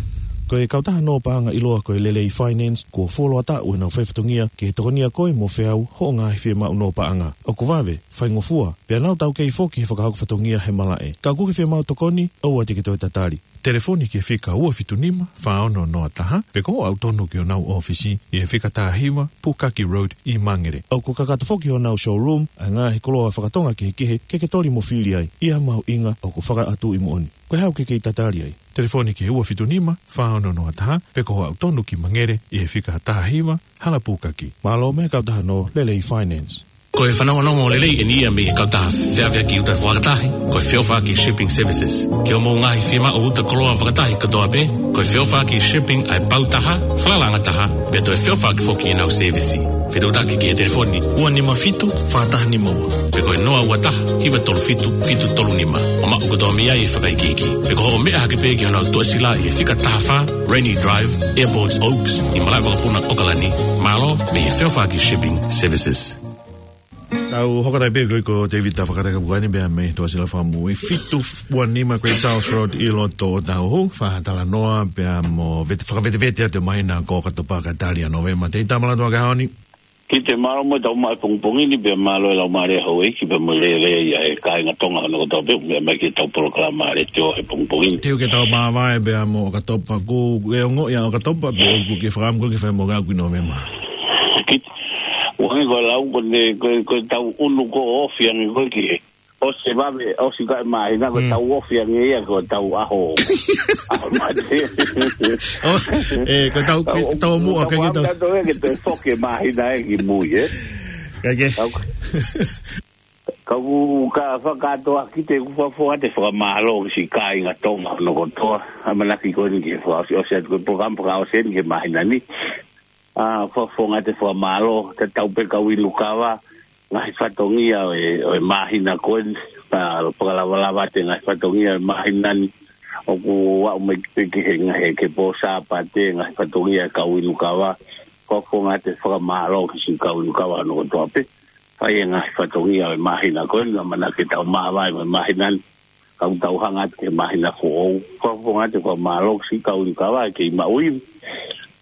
Ko e kautaha nō paʻanga ʻiloa ko e Lelei Finance, kuo fuoloa taʻu ʻenau fai fatongia ke tokonia koe mo feau hoʻo ngaahi fiemaʻu nō paʻanga. ʻOku vave, faingofua, pea nau taukei foki he fakahoko fatongia he malaʻe. Ka ʻoku ke fiemaʻu tokoni, ʻoua te ke toe tatali. Telefoni ki he fika ua fitu nima, fā ono noa taha, pe ko hoʻo aʻu tonu ki honau ʻōfisi ʻi he fika taha hiva, Pukaki Road ʻi Mangere. ʻOku kakato foki honau showroom ʻa e ngaahi koloa faka-Tonga kehekehe ke ke toli mo fili ai ʻi ha mahuʻinga ʻoku fakaʻatu ʻi moʻoni. Ko e hā ʻoku ke kei tatali ai? Telefoni ki he ua fitu nima, fā ono noa taha, pe ko hoʻo aʻu tonu ki Mangere ʻi he fika taha hiva, Hala Pukaki. Mālō mo e kautaha no Lelei Finance. Ko e fanongonongo lelei eni ia mei he kautaha feʻaveʻaki uta fakatahi, ko e Feʻofaʻaki Shipping Services. Ki hoʻomou ngaahi fiemaʻu uta koloa fakatahi kotoa pē, ko e Feʻofaʻaki Shipping ʻa e pau taha, falalaʻanga taha, pea toe feʻofaʻaki foki ʻenau sēvisi. Fetuʻutaki ki he telefoni ua nima fitu, fā taha nima ua, pe ko e noa ua taha, hiva tolu fitu, fitu tolu nima. ʻO maʻu kotoa mei ai e fakaikiiki. Pe ko hoʻo meʻa hake pē ki honau tuʻasila ʻi he fika taha fā, Rainy Drive, Airport Oaks, ʻi Malaʻevakapuna, ʻOkalani. Mālō mei he Feʻofaʻaki Shipping Services. Tau hoko atu pē ko, ko David Tafakata ka puani pea mei he tuʻasila fakamoʻui fitu ua nima Great South Road ʻi loto ʻo Otahuhu. Fakatalanoa pea mo vete-, fakavetevete atu e māhina ko ʻOkatopa kae tali ʻa Nōvema. Tei tamala tua ka honi. Ki te mālō mo tau mai pongipongi ni pea mālō e lau mālie houʻeiki pea mo e lelei ʻa e kāinga Tonga hono kotoa pē, meʻa mai ki he tau polokalama letiō he pongipongi ni. Te u ke tau māvae pea mo ʻOkatopa, ko e ongo ia ʻOkatopa pea ʻoku ke fakaʻamu ko ke fai mo ngā kui Nōvema. Ki te, uangi ko e lau ko ne, ko, ko e tau unu ko ofi ange ko e ki he. ʻOsi e vave, ʻosi ka e māhina, ko e Mm. tau ofi ange ia, ko e tau ʻaho. ʻAho mate. ʻO, e, ko e tau, Tau, tau muʻa, tau ke tau. Tau ke toe foki e māhina ē ki mui, ē? Ka ke. Tau, kau ka fakatoa ki te kufa foa te fakamālō ki siʻi kāinga Tonga hono kotoa. ʻAmanaki ko eni ke fakaʻosi, ʻosi atu ko e polokalama fakaʻosi eni ki he māhina ni. ʻA, fakafofonga atu e fakamālō, tatau pē kau inu kava, ngaahi fatongia ʻo e, ʻo e māhina ko eni, ʻa, fakalavalava atu e ngaahi fatongia ʻo e māhina ni, ʻoku aʻu mai ki he, ki he ngaahi, ki he pō Sāpate, ngaahi fatongia ʻa e kau inu kava, fakafofonga atu e fakamālō ki siʻi kau inu kava hono kotoa pē, fai e ngaahi fatongia ʻo e māhina ko eni, ʻamanaki ke tau māvae mo e māhina ni, ka ʻoku tau hanga atu ki he māhina foʻou. Fakafofonga atu e fakamālō ki siʻi kau inu kava ʻoku kei maʻu ivi.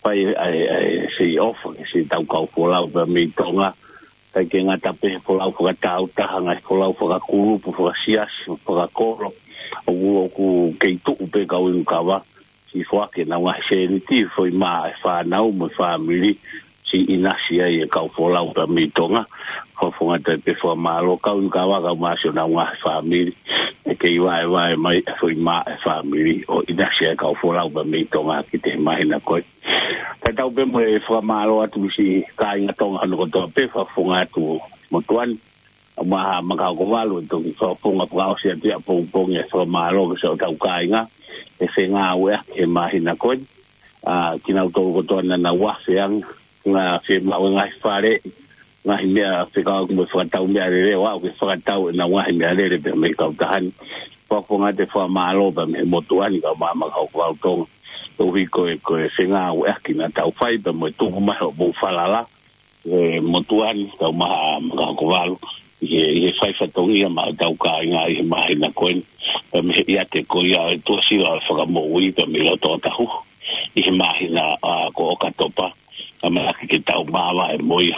Fai ʻa e, ʻa e, ʻa e sei ofa ki siʻi tau kau folau pea mei Tonga. ʻIkai ke ngata pē he folau fakatāutaha, ngaahi folau fakakulupu, fakasiasi, fakakolo. ʻOku, ʻoku kei tuʻu pē kau inu kava. Siʻi foaki ʻenau ngaahi sēniti, foʻi mā ʻa e fānau mo e fāmili, siʻi ʻinasi ai e kau folau pea mei Tonga. Fakafofonga atu ai pē fakamālō kau inu kava kae ʻumaʻā siʻonau ngaahi fāmili. ʻE kei vaevae mai e foʻi mā ʻa e fāmili ʻo ʻinasi ai e kau folau pea mei Tonga ki he māhina ko ē. Tatau pē mo e fakamālō atu ki siʻi kāinga Tonga hono kotoa pē, fakafofonga atu motuʻa ni. ʻA Maha Makahokovalu ʻe toki fakafofonga fakaʻosi atu ia pongipongi e fakamālō ki siʻotau kāinga, ʻe fengāueʻaki he māhina ko eni. ʻA, kinautolu kotoa naʻa nau afe ange, ngaahi fiemaʻu e ngaahi fale, ngaahi meʻa fekauʻaki mo e fakatau meʻalele, ʻo aʻu ke fakatau ʻenau ngaahi meʻalele pea mei he kautaha ni. Fakafofonga atu e fakamālō pea mei he motuʻa ni kau Maha Makahokovalu Tonga. Koeʻuhi ko e, ko e fengāueʻaki naʻa tau fai pea mo e tuku mai hoʻomou falala, e motuʻa ni, kau Maha Makahokovalu, ʻi he, ʻi he fai fatongia maʻa hotau kāinga ʻi he māhina ko eni, pea mei he ʻiate ko ia e tuʻasila ʻo e Fakamoʻui, pea mei loto ʻo Otahuhu, ʻi he māhina, ʻa, ko ʻOkatopa, ʻamanaki ke tau māvae mo ia,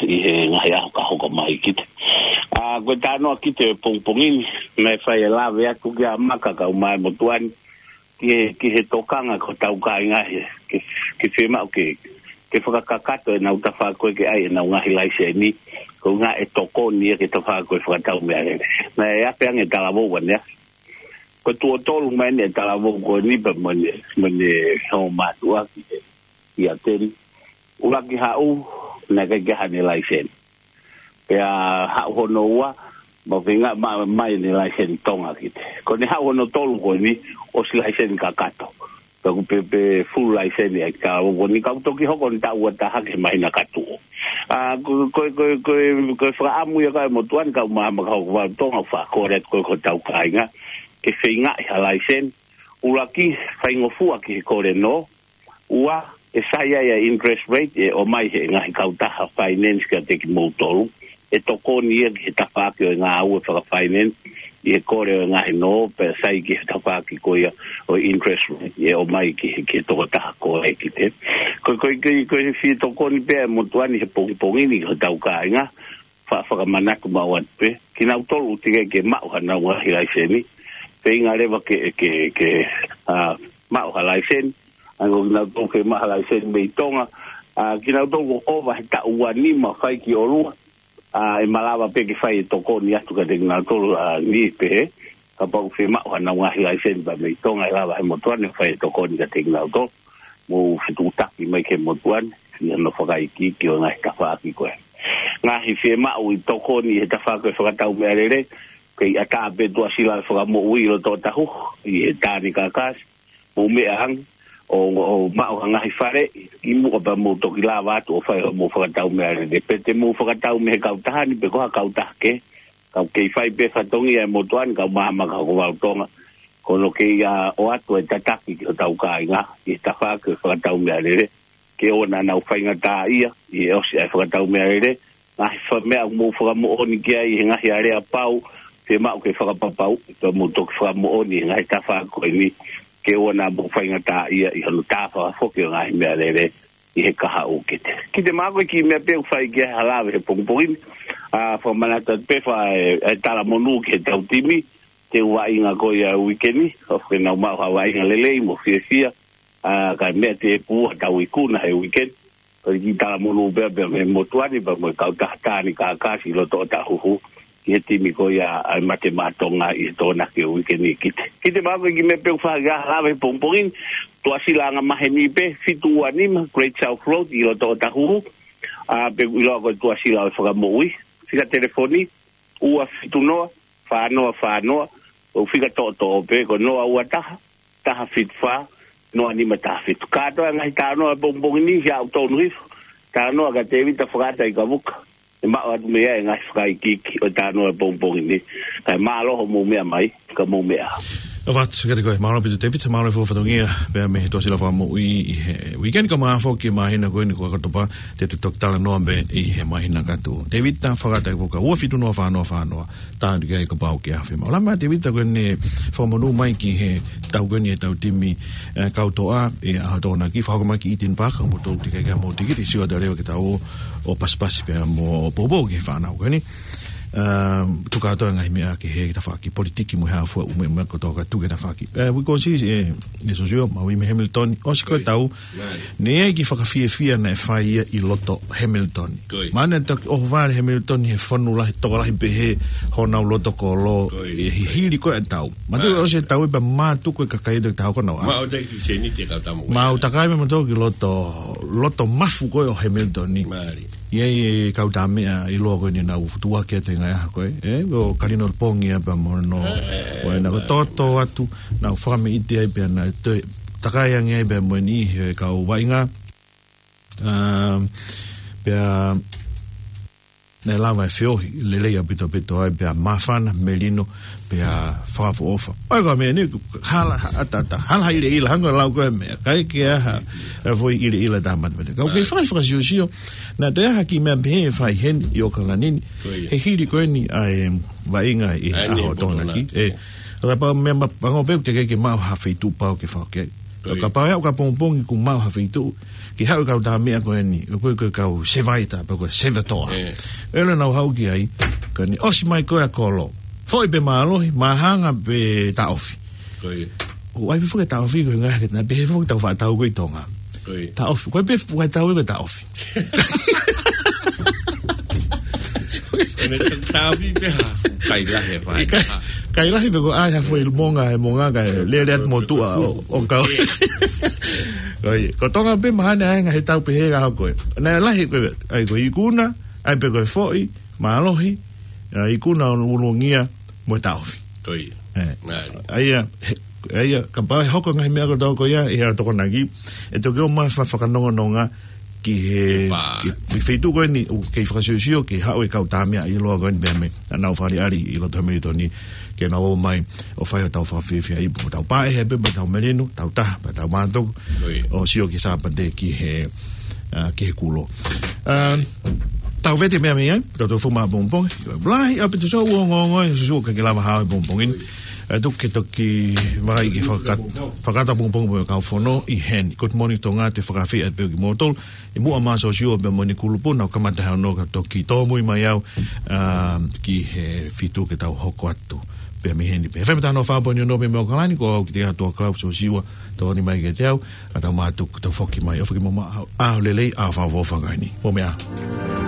ʻi he ngaahi ʻaho ka hoko mai ki te. ʻA, ko e talanoa ki te pongipongi ni, naʻe fai e lave atu kia Maka kau mai motuʻa ni, ki he, ki he tokanga ko hotau kāinga he, ke, ke fiemaʻu ke, ke fakakakato ʻenau tafaʻaki ko ē ke ʻai ʻenau ngaahi laiseni, ko e ʻuhinga ʻe tokoni ia ki he tafaʻaki ko ē fakatau meʻalele. Naʻe afe ange talavou ʻanenai. Ko e tuʻo tolu mai eni e talavou ko eni pea mo ʻene, mo ʻene hōmātuʻa ki he, ki ʻAteni. ʻUluaki haʻu, naʻe ʻikai ke ʻi ai haʻane laiseni. Pea haʻu hono ua, ma feinga, ma, mai ʻene laiseni Tonga ki te. Ko ʻene haʻu hono tolu ko eni, ʻosi laiseni kakato. Pea ʻoku pē, pē full laiseni ʻa e talavou ko eni, ka ʻoku toki hoko ʻene taʻu ua taha ki he māhina ka tuʻu. ʻA, ko, ko, ko, ko, ko e fakaʻamu ia kau motuʻa ni kau Maha Makahokovalu Tonga, fakakole atu ko ē ki hotau kāinga, ke feingaʻi ha laiseni. ʻUluaki, faingofua ki he kole nō, ua, ʻe sai ai ʻa e interest rate ʻe ʻomai he ngaahi kautaha finance kiate kimoutolu, ʻe tokoni ia ki he tafaʻaki ʻo e ngāue fakafinance, ʻi he kole ʻo e ngaahi nō, pea sai ki he tafaʻaki ko ia ʻo e interest rate ʻe ʻomai ki he, ki he tokotaha ko ē ki te. Ko, ko, ko, ko e fie tokoni pē ʻa e motuʻa ni he pongipongi ni ki hotau kāinga, fa-, fakamanatu maʻu atu pē, kinautolu ʻoku teʻeki ke maʻu hanau ngaahi laiseni, feinga leva ke, ke, ke, ʻa, maʻu ha laiseni, ʻa ia ko kinautolu ke maʻu ha laiseni mei Tonga, ʻa, kinautolu ʻoku ʻova he taʻu ua nima fai ki ʻolunga, ʻa, ʻe malava pē ke fai e tokoni atu kiate kinautolu, ʻa, ni pehē, kapau ʻoku fiemaʻu haʻanau ngaahi laiseni pea mei Tonga ʻe lava he motuʻa ni ʻo fai e tokoni kiate kinautolu, mo fetuʻutaki mai ki he motuʻa ni, ʻi hono fakaikiiki ʻo e ngaahi tafaʻaki ko ē. Ngaahi fiemaʻu ʻi tokoni he tafaʻaki ʻo e fakatau meʻalele, kei ʻatā pē tuʻasila ʻo e fakamoʻui ʻi loto ʻOtahuhu, ʻi he Tāne Kākāsi, mou meʻa ange, ʻo, ʻo maʻu ha ngaahi fale, ʻi muʻa pea mou toki lava atu ʻo fai hoʻomou fakatau meʻalele. Pe te mou fakatau mei he kautaha ni, pe ko ha kautaha kehe, ka ʻoku kei fai pē fatongia ʻe he motuʻa ni, kau maama ka ko Valu Tonga, ko hono kei, ʻa, ʻoatu e tataki ki hotau kāinga, ʻi he tafaʻaki ʻo e fakatau meʻalele, ke ʻoua naʻa nau faingataʻaʻia, ʻi he ʻosi ʻa e fakatau meʻalele, ngaahi fa-, meʻa ʻoku mou fakamoʻoni ki ai, he ngaahi aleapau, fiemaʻu ke fakapapauʻi, pea mou toki fakamoʻoni, he ngaahi tafaʻaki ko eni, ke ʻoua naʻa mou faingataʻaʻia, ʻi hono tā fakafoki ʻo e ngaahi meʻalele, ʻi he kahaʻu kete. Ki te mako ki he meʻa pē ʻoku fai ki ai ha lave he pongipongi ni, ʻa, fakamanatu atu pē fa e, e talamonū ki he tau timi, te u vaʻinga ko ia uike ni, ʻoku ke nau maʻu ha vaʻinga lelei mo fiefia, ʻa, ka meʻa te pua tau ikuna he uike ni, ko e kiʻi talamonū pē, pea mei he motuʻa ni, pea mo e kautaha Tāne Kākāsi ʻi loto ʻOtahuhu, ki he timi ko ia ʻa e Mate Maʻa Tonga ʻi he Tokonaki uike ni ki te. Ki te mako ki he meʻa pē ʻoku fai ki ai ha lave he pongipongi ni, tuʻasila angamaheni pē, fitu ua nima, Great South Road, ʻi loto ʻOtahuhu, ʻa, pe ʻiloa ko e tuʻasila ʻo e fakamoʻui, fika telefoni, ua fitu noa, fā noa fā noa, ʻo fika toʻotoʻo pē, ko noa ua taha, taha fitu fā, noa nima taha fitu. Kātoa e ngaahi talanoa he pongipongi ni, ʻoku tonu hifo, talanoa kia Tēvita Fakata ʻi Kavuka. ʻE maʻu atu mei ai e ngaahi fakaikiiki ʻo e talanoa he pongipongi ni. Kae mālō hoʻomou meʻa mai, ka mou meʻa. ʻOfa atu kiate koe, mālō ʻaupito Tēvita, mālō e fuofua fatongia, pea mei he tuʻasila fakamoʻui ʻi he uike ni, kae ʻumaʻā foki e māhina ko eni ko ʻOkatopa, te u toki talanoa pē ʻi he māhina ka tuʻu. Tēvita Fakata ʻi Kavuka, ua fitu noa fā noa fā noa. Tānaki ai kapau ʻoku ke ʻi ai ha fiemaʻu. Lama Tēvita ko eni fakamonū mai ki he tau ko eni e tau timi, ʻe, kau toʻa, ʻi he ʻaho Tokonaki, fakahoko mai ki Eden Park, mo tau tike ke mo tikiti, sio atu leva ke tau ō, ʻo pasipasi pea mo poupou ki he fānau ko eni. ʻA, tuku atu e ngaahi meʻa ki he tafaʻaki politiki mo e hā fua ʻū meʻa, meʻa kotoa ka tuku e tafaʻaki. ʻE, we can see, ʻe, ʻe Sosio, Maui mei Hamilton, ʻosi ko e tau, Nai. Ne ʻi ai e kiʻi fakafiefia naʻe fai ia ʻi loto Hamilton. Ko ia. Mahalo naʻe toki ʻohovale ʻa Hamilton he fonu lahi, tokolahi pehē honau loto kolo, Ko ia. ʻi he hili ko ē ʻa e tau. Mātuku Nai. ʻosi e tau ē pea mātuku e kakai ʻe toki taha ko nau. Maʻu takai ki sēniti e kau tamu. Maʻu takai mātuku ki loto, loto mafu ko ē ʻo Hamilton ni. Mālie. ʻI ai e kau tā meʻa ʻiloa ko eni naʻa nau tuʻuaki atu he ngaahi ʻaho ko ē, ʻe, ko Kalino Pongia pea mo hono, ʻE, ʻe, ʻo ena ko ē mālie. Toto atu, naʻa nau fakameʻite ai pea naʻe toe takai ange ai pea mo eni he kau vaʻinga. ʻA, pea naʻe lava e feohi lelei ʻaupito ʻaupito ai pea māfana, melino, pea fakaʻofoʻofa. ʻOi ko e meʻa ni, hala, ʻata, ʻata, hala ha ʻilaʻila, hangē ko e lau ko ē meʻa, ʻikai ke ʻi ai ha, ha foʻi ʻilaʻila tā matamata. Ka ʻoku kei Ai. fai fakasiosio, naʻe toe ʻi ai ha kiʻi meʻa pehē ʻe fai heni ʻi ʻAokalani ni, Ko ia. he hili ko eni ʻa e vaʻinga ʻi he ʻAi ni ʻaho ʻo Tokonaki. Tokonaki. ʻE, ka pau meʻa ma-, pango pē ʻoku teʻeki ke maʻu ha feituʻu pau ke fakake. Ko ia. Ka pau ʻe aʻu ki he pongipongi kuo maʻu ha feituʻu, ke haʻu e kau tā meʻa ko eni, ko e, ko e kau sevaita, pe ko e sevatoa. ʻE. ʻElo naʻa nau haʻu ki ai, ka ne ʻosi mai ko ē ʻa e kolo. Foʻi pe mālohi, māhanga pe taʻofi. Ko ia. ʻOku ʻi ai pē foki e taʻofi ko e ngaahi ke na pehē foki tau faʻa tau ko ē ʻi Tonga. Ko ia. Taʻofi, ko e pē fuʻu kai tau ko e taʻofi. Ko e taʻofi pē ha fuʻu kai lahi e fai. Kai, kai lahi pē ko e ʻai ha foʻi monga, e monga ka e lele atu mo tuʻa ʻo, ʻo kau. Ko ia. Ko Tonga pē mahalo ʻe ʻi ai e ngaahi tau pehē ʻaho ko ē. Naʻe lahi ko ē, ʻai ko e ikuna, ʻai pē ko e foʻi, mālohi, ʻa, ikuna ʻo ulungia mo e taʻofi. Ko ia. ʻE. Mālie. ʻA ia, he, ʻa ia, kapau ʻe hoko e ngaahi meʻa kotoa ko ia, ʻi he ʻaho Tokonaki, ʻe toki ō mai fa-, fakanongononga ki he, Pā. ki, ki he feituʻu ko eni, ʻoku kei fakasiosio, ke haʻu e kau tā meʻa ʻiloa ko eni pea mei, naʻa nau fāʻeleʻi ʻi loto Hamilton ni, ke nau ō mai, ʻo fai hotau fakafiefia ipu, tau pā ʻe he pē, pea tau melino, tau taha, pea tau mātuku, Ko ia. ʻo sio ki Sāpate ki he, ʻa, ki he kulo. ʻA, tau vete meʻa mei ai, tau tau fuma pongipongi. Lahi ʻaupito, so ua ongoongo, so so ka ke lava hao pongipongi. ʻA, tuku ke toki vakai ki he faka-, fakataha pongipongi mo e kau fono ʻi heni. Good morning, Tonga, te fakafeʻiloaki pē kimoutolu. ʻI muʻa mai Sosio pea mo ʻene kulupu, naʻa ku kamata he ono ka toki tōmui mai au, ʻa, ki he fitu ke tau hoko atu. Pea mei heni pē. F M taha nima fā poini ono mei Okalani, ko au ki te atu a Klaus o Siua, tokoni mai kiate au, ka tau mātuku, tau foki mai, ʻo foki mo ma, ʻa, ʻa, lelei, ʻa, fa, fa, fa, kaini. Mo mea.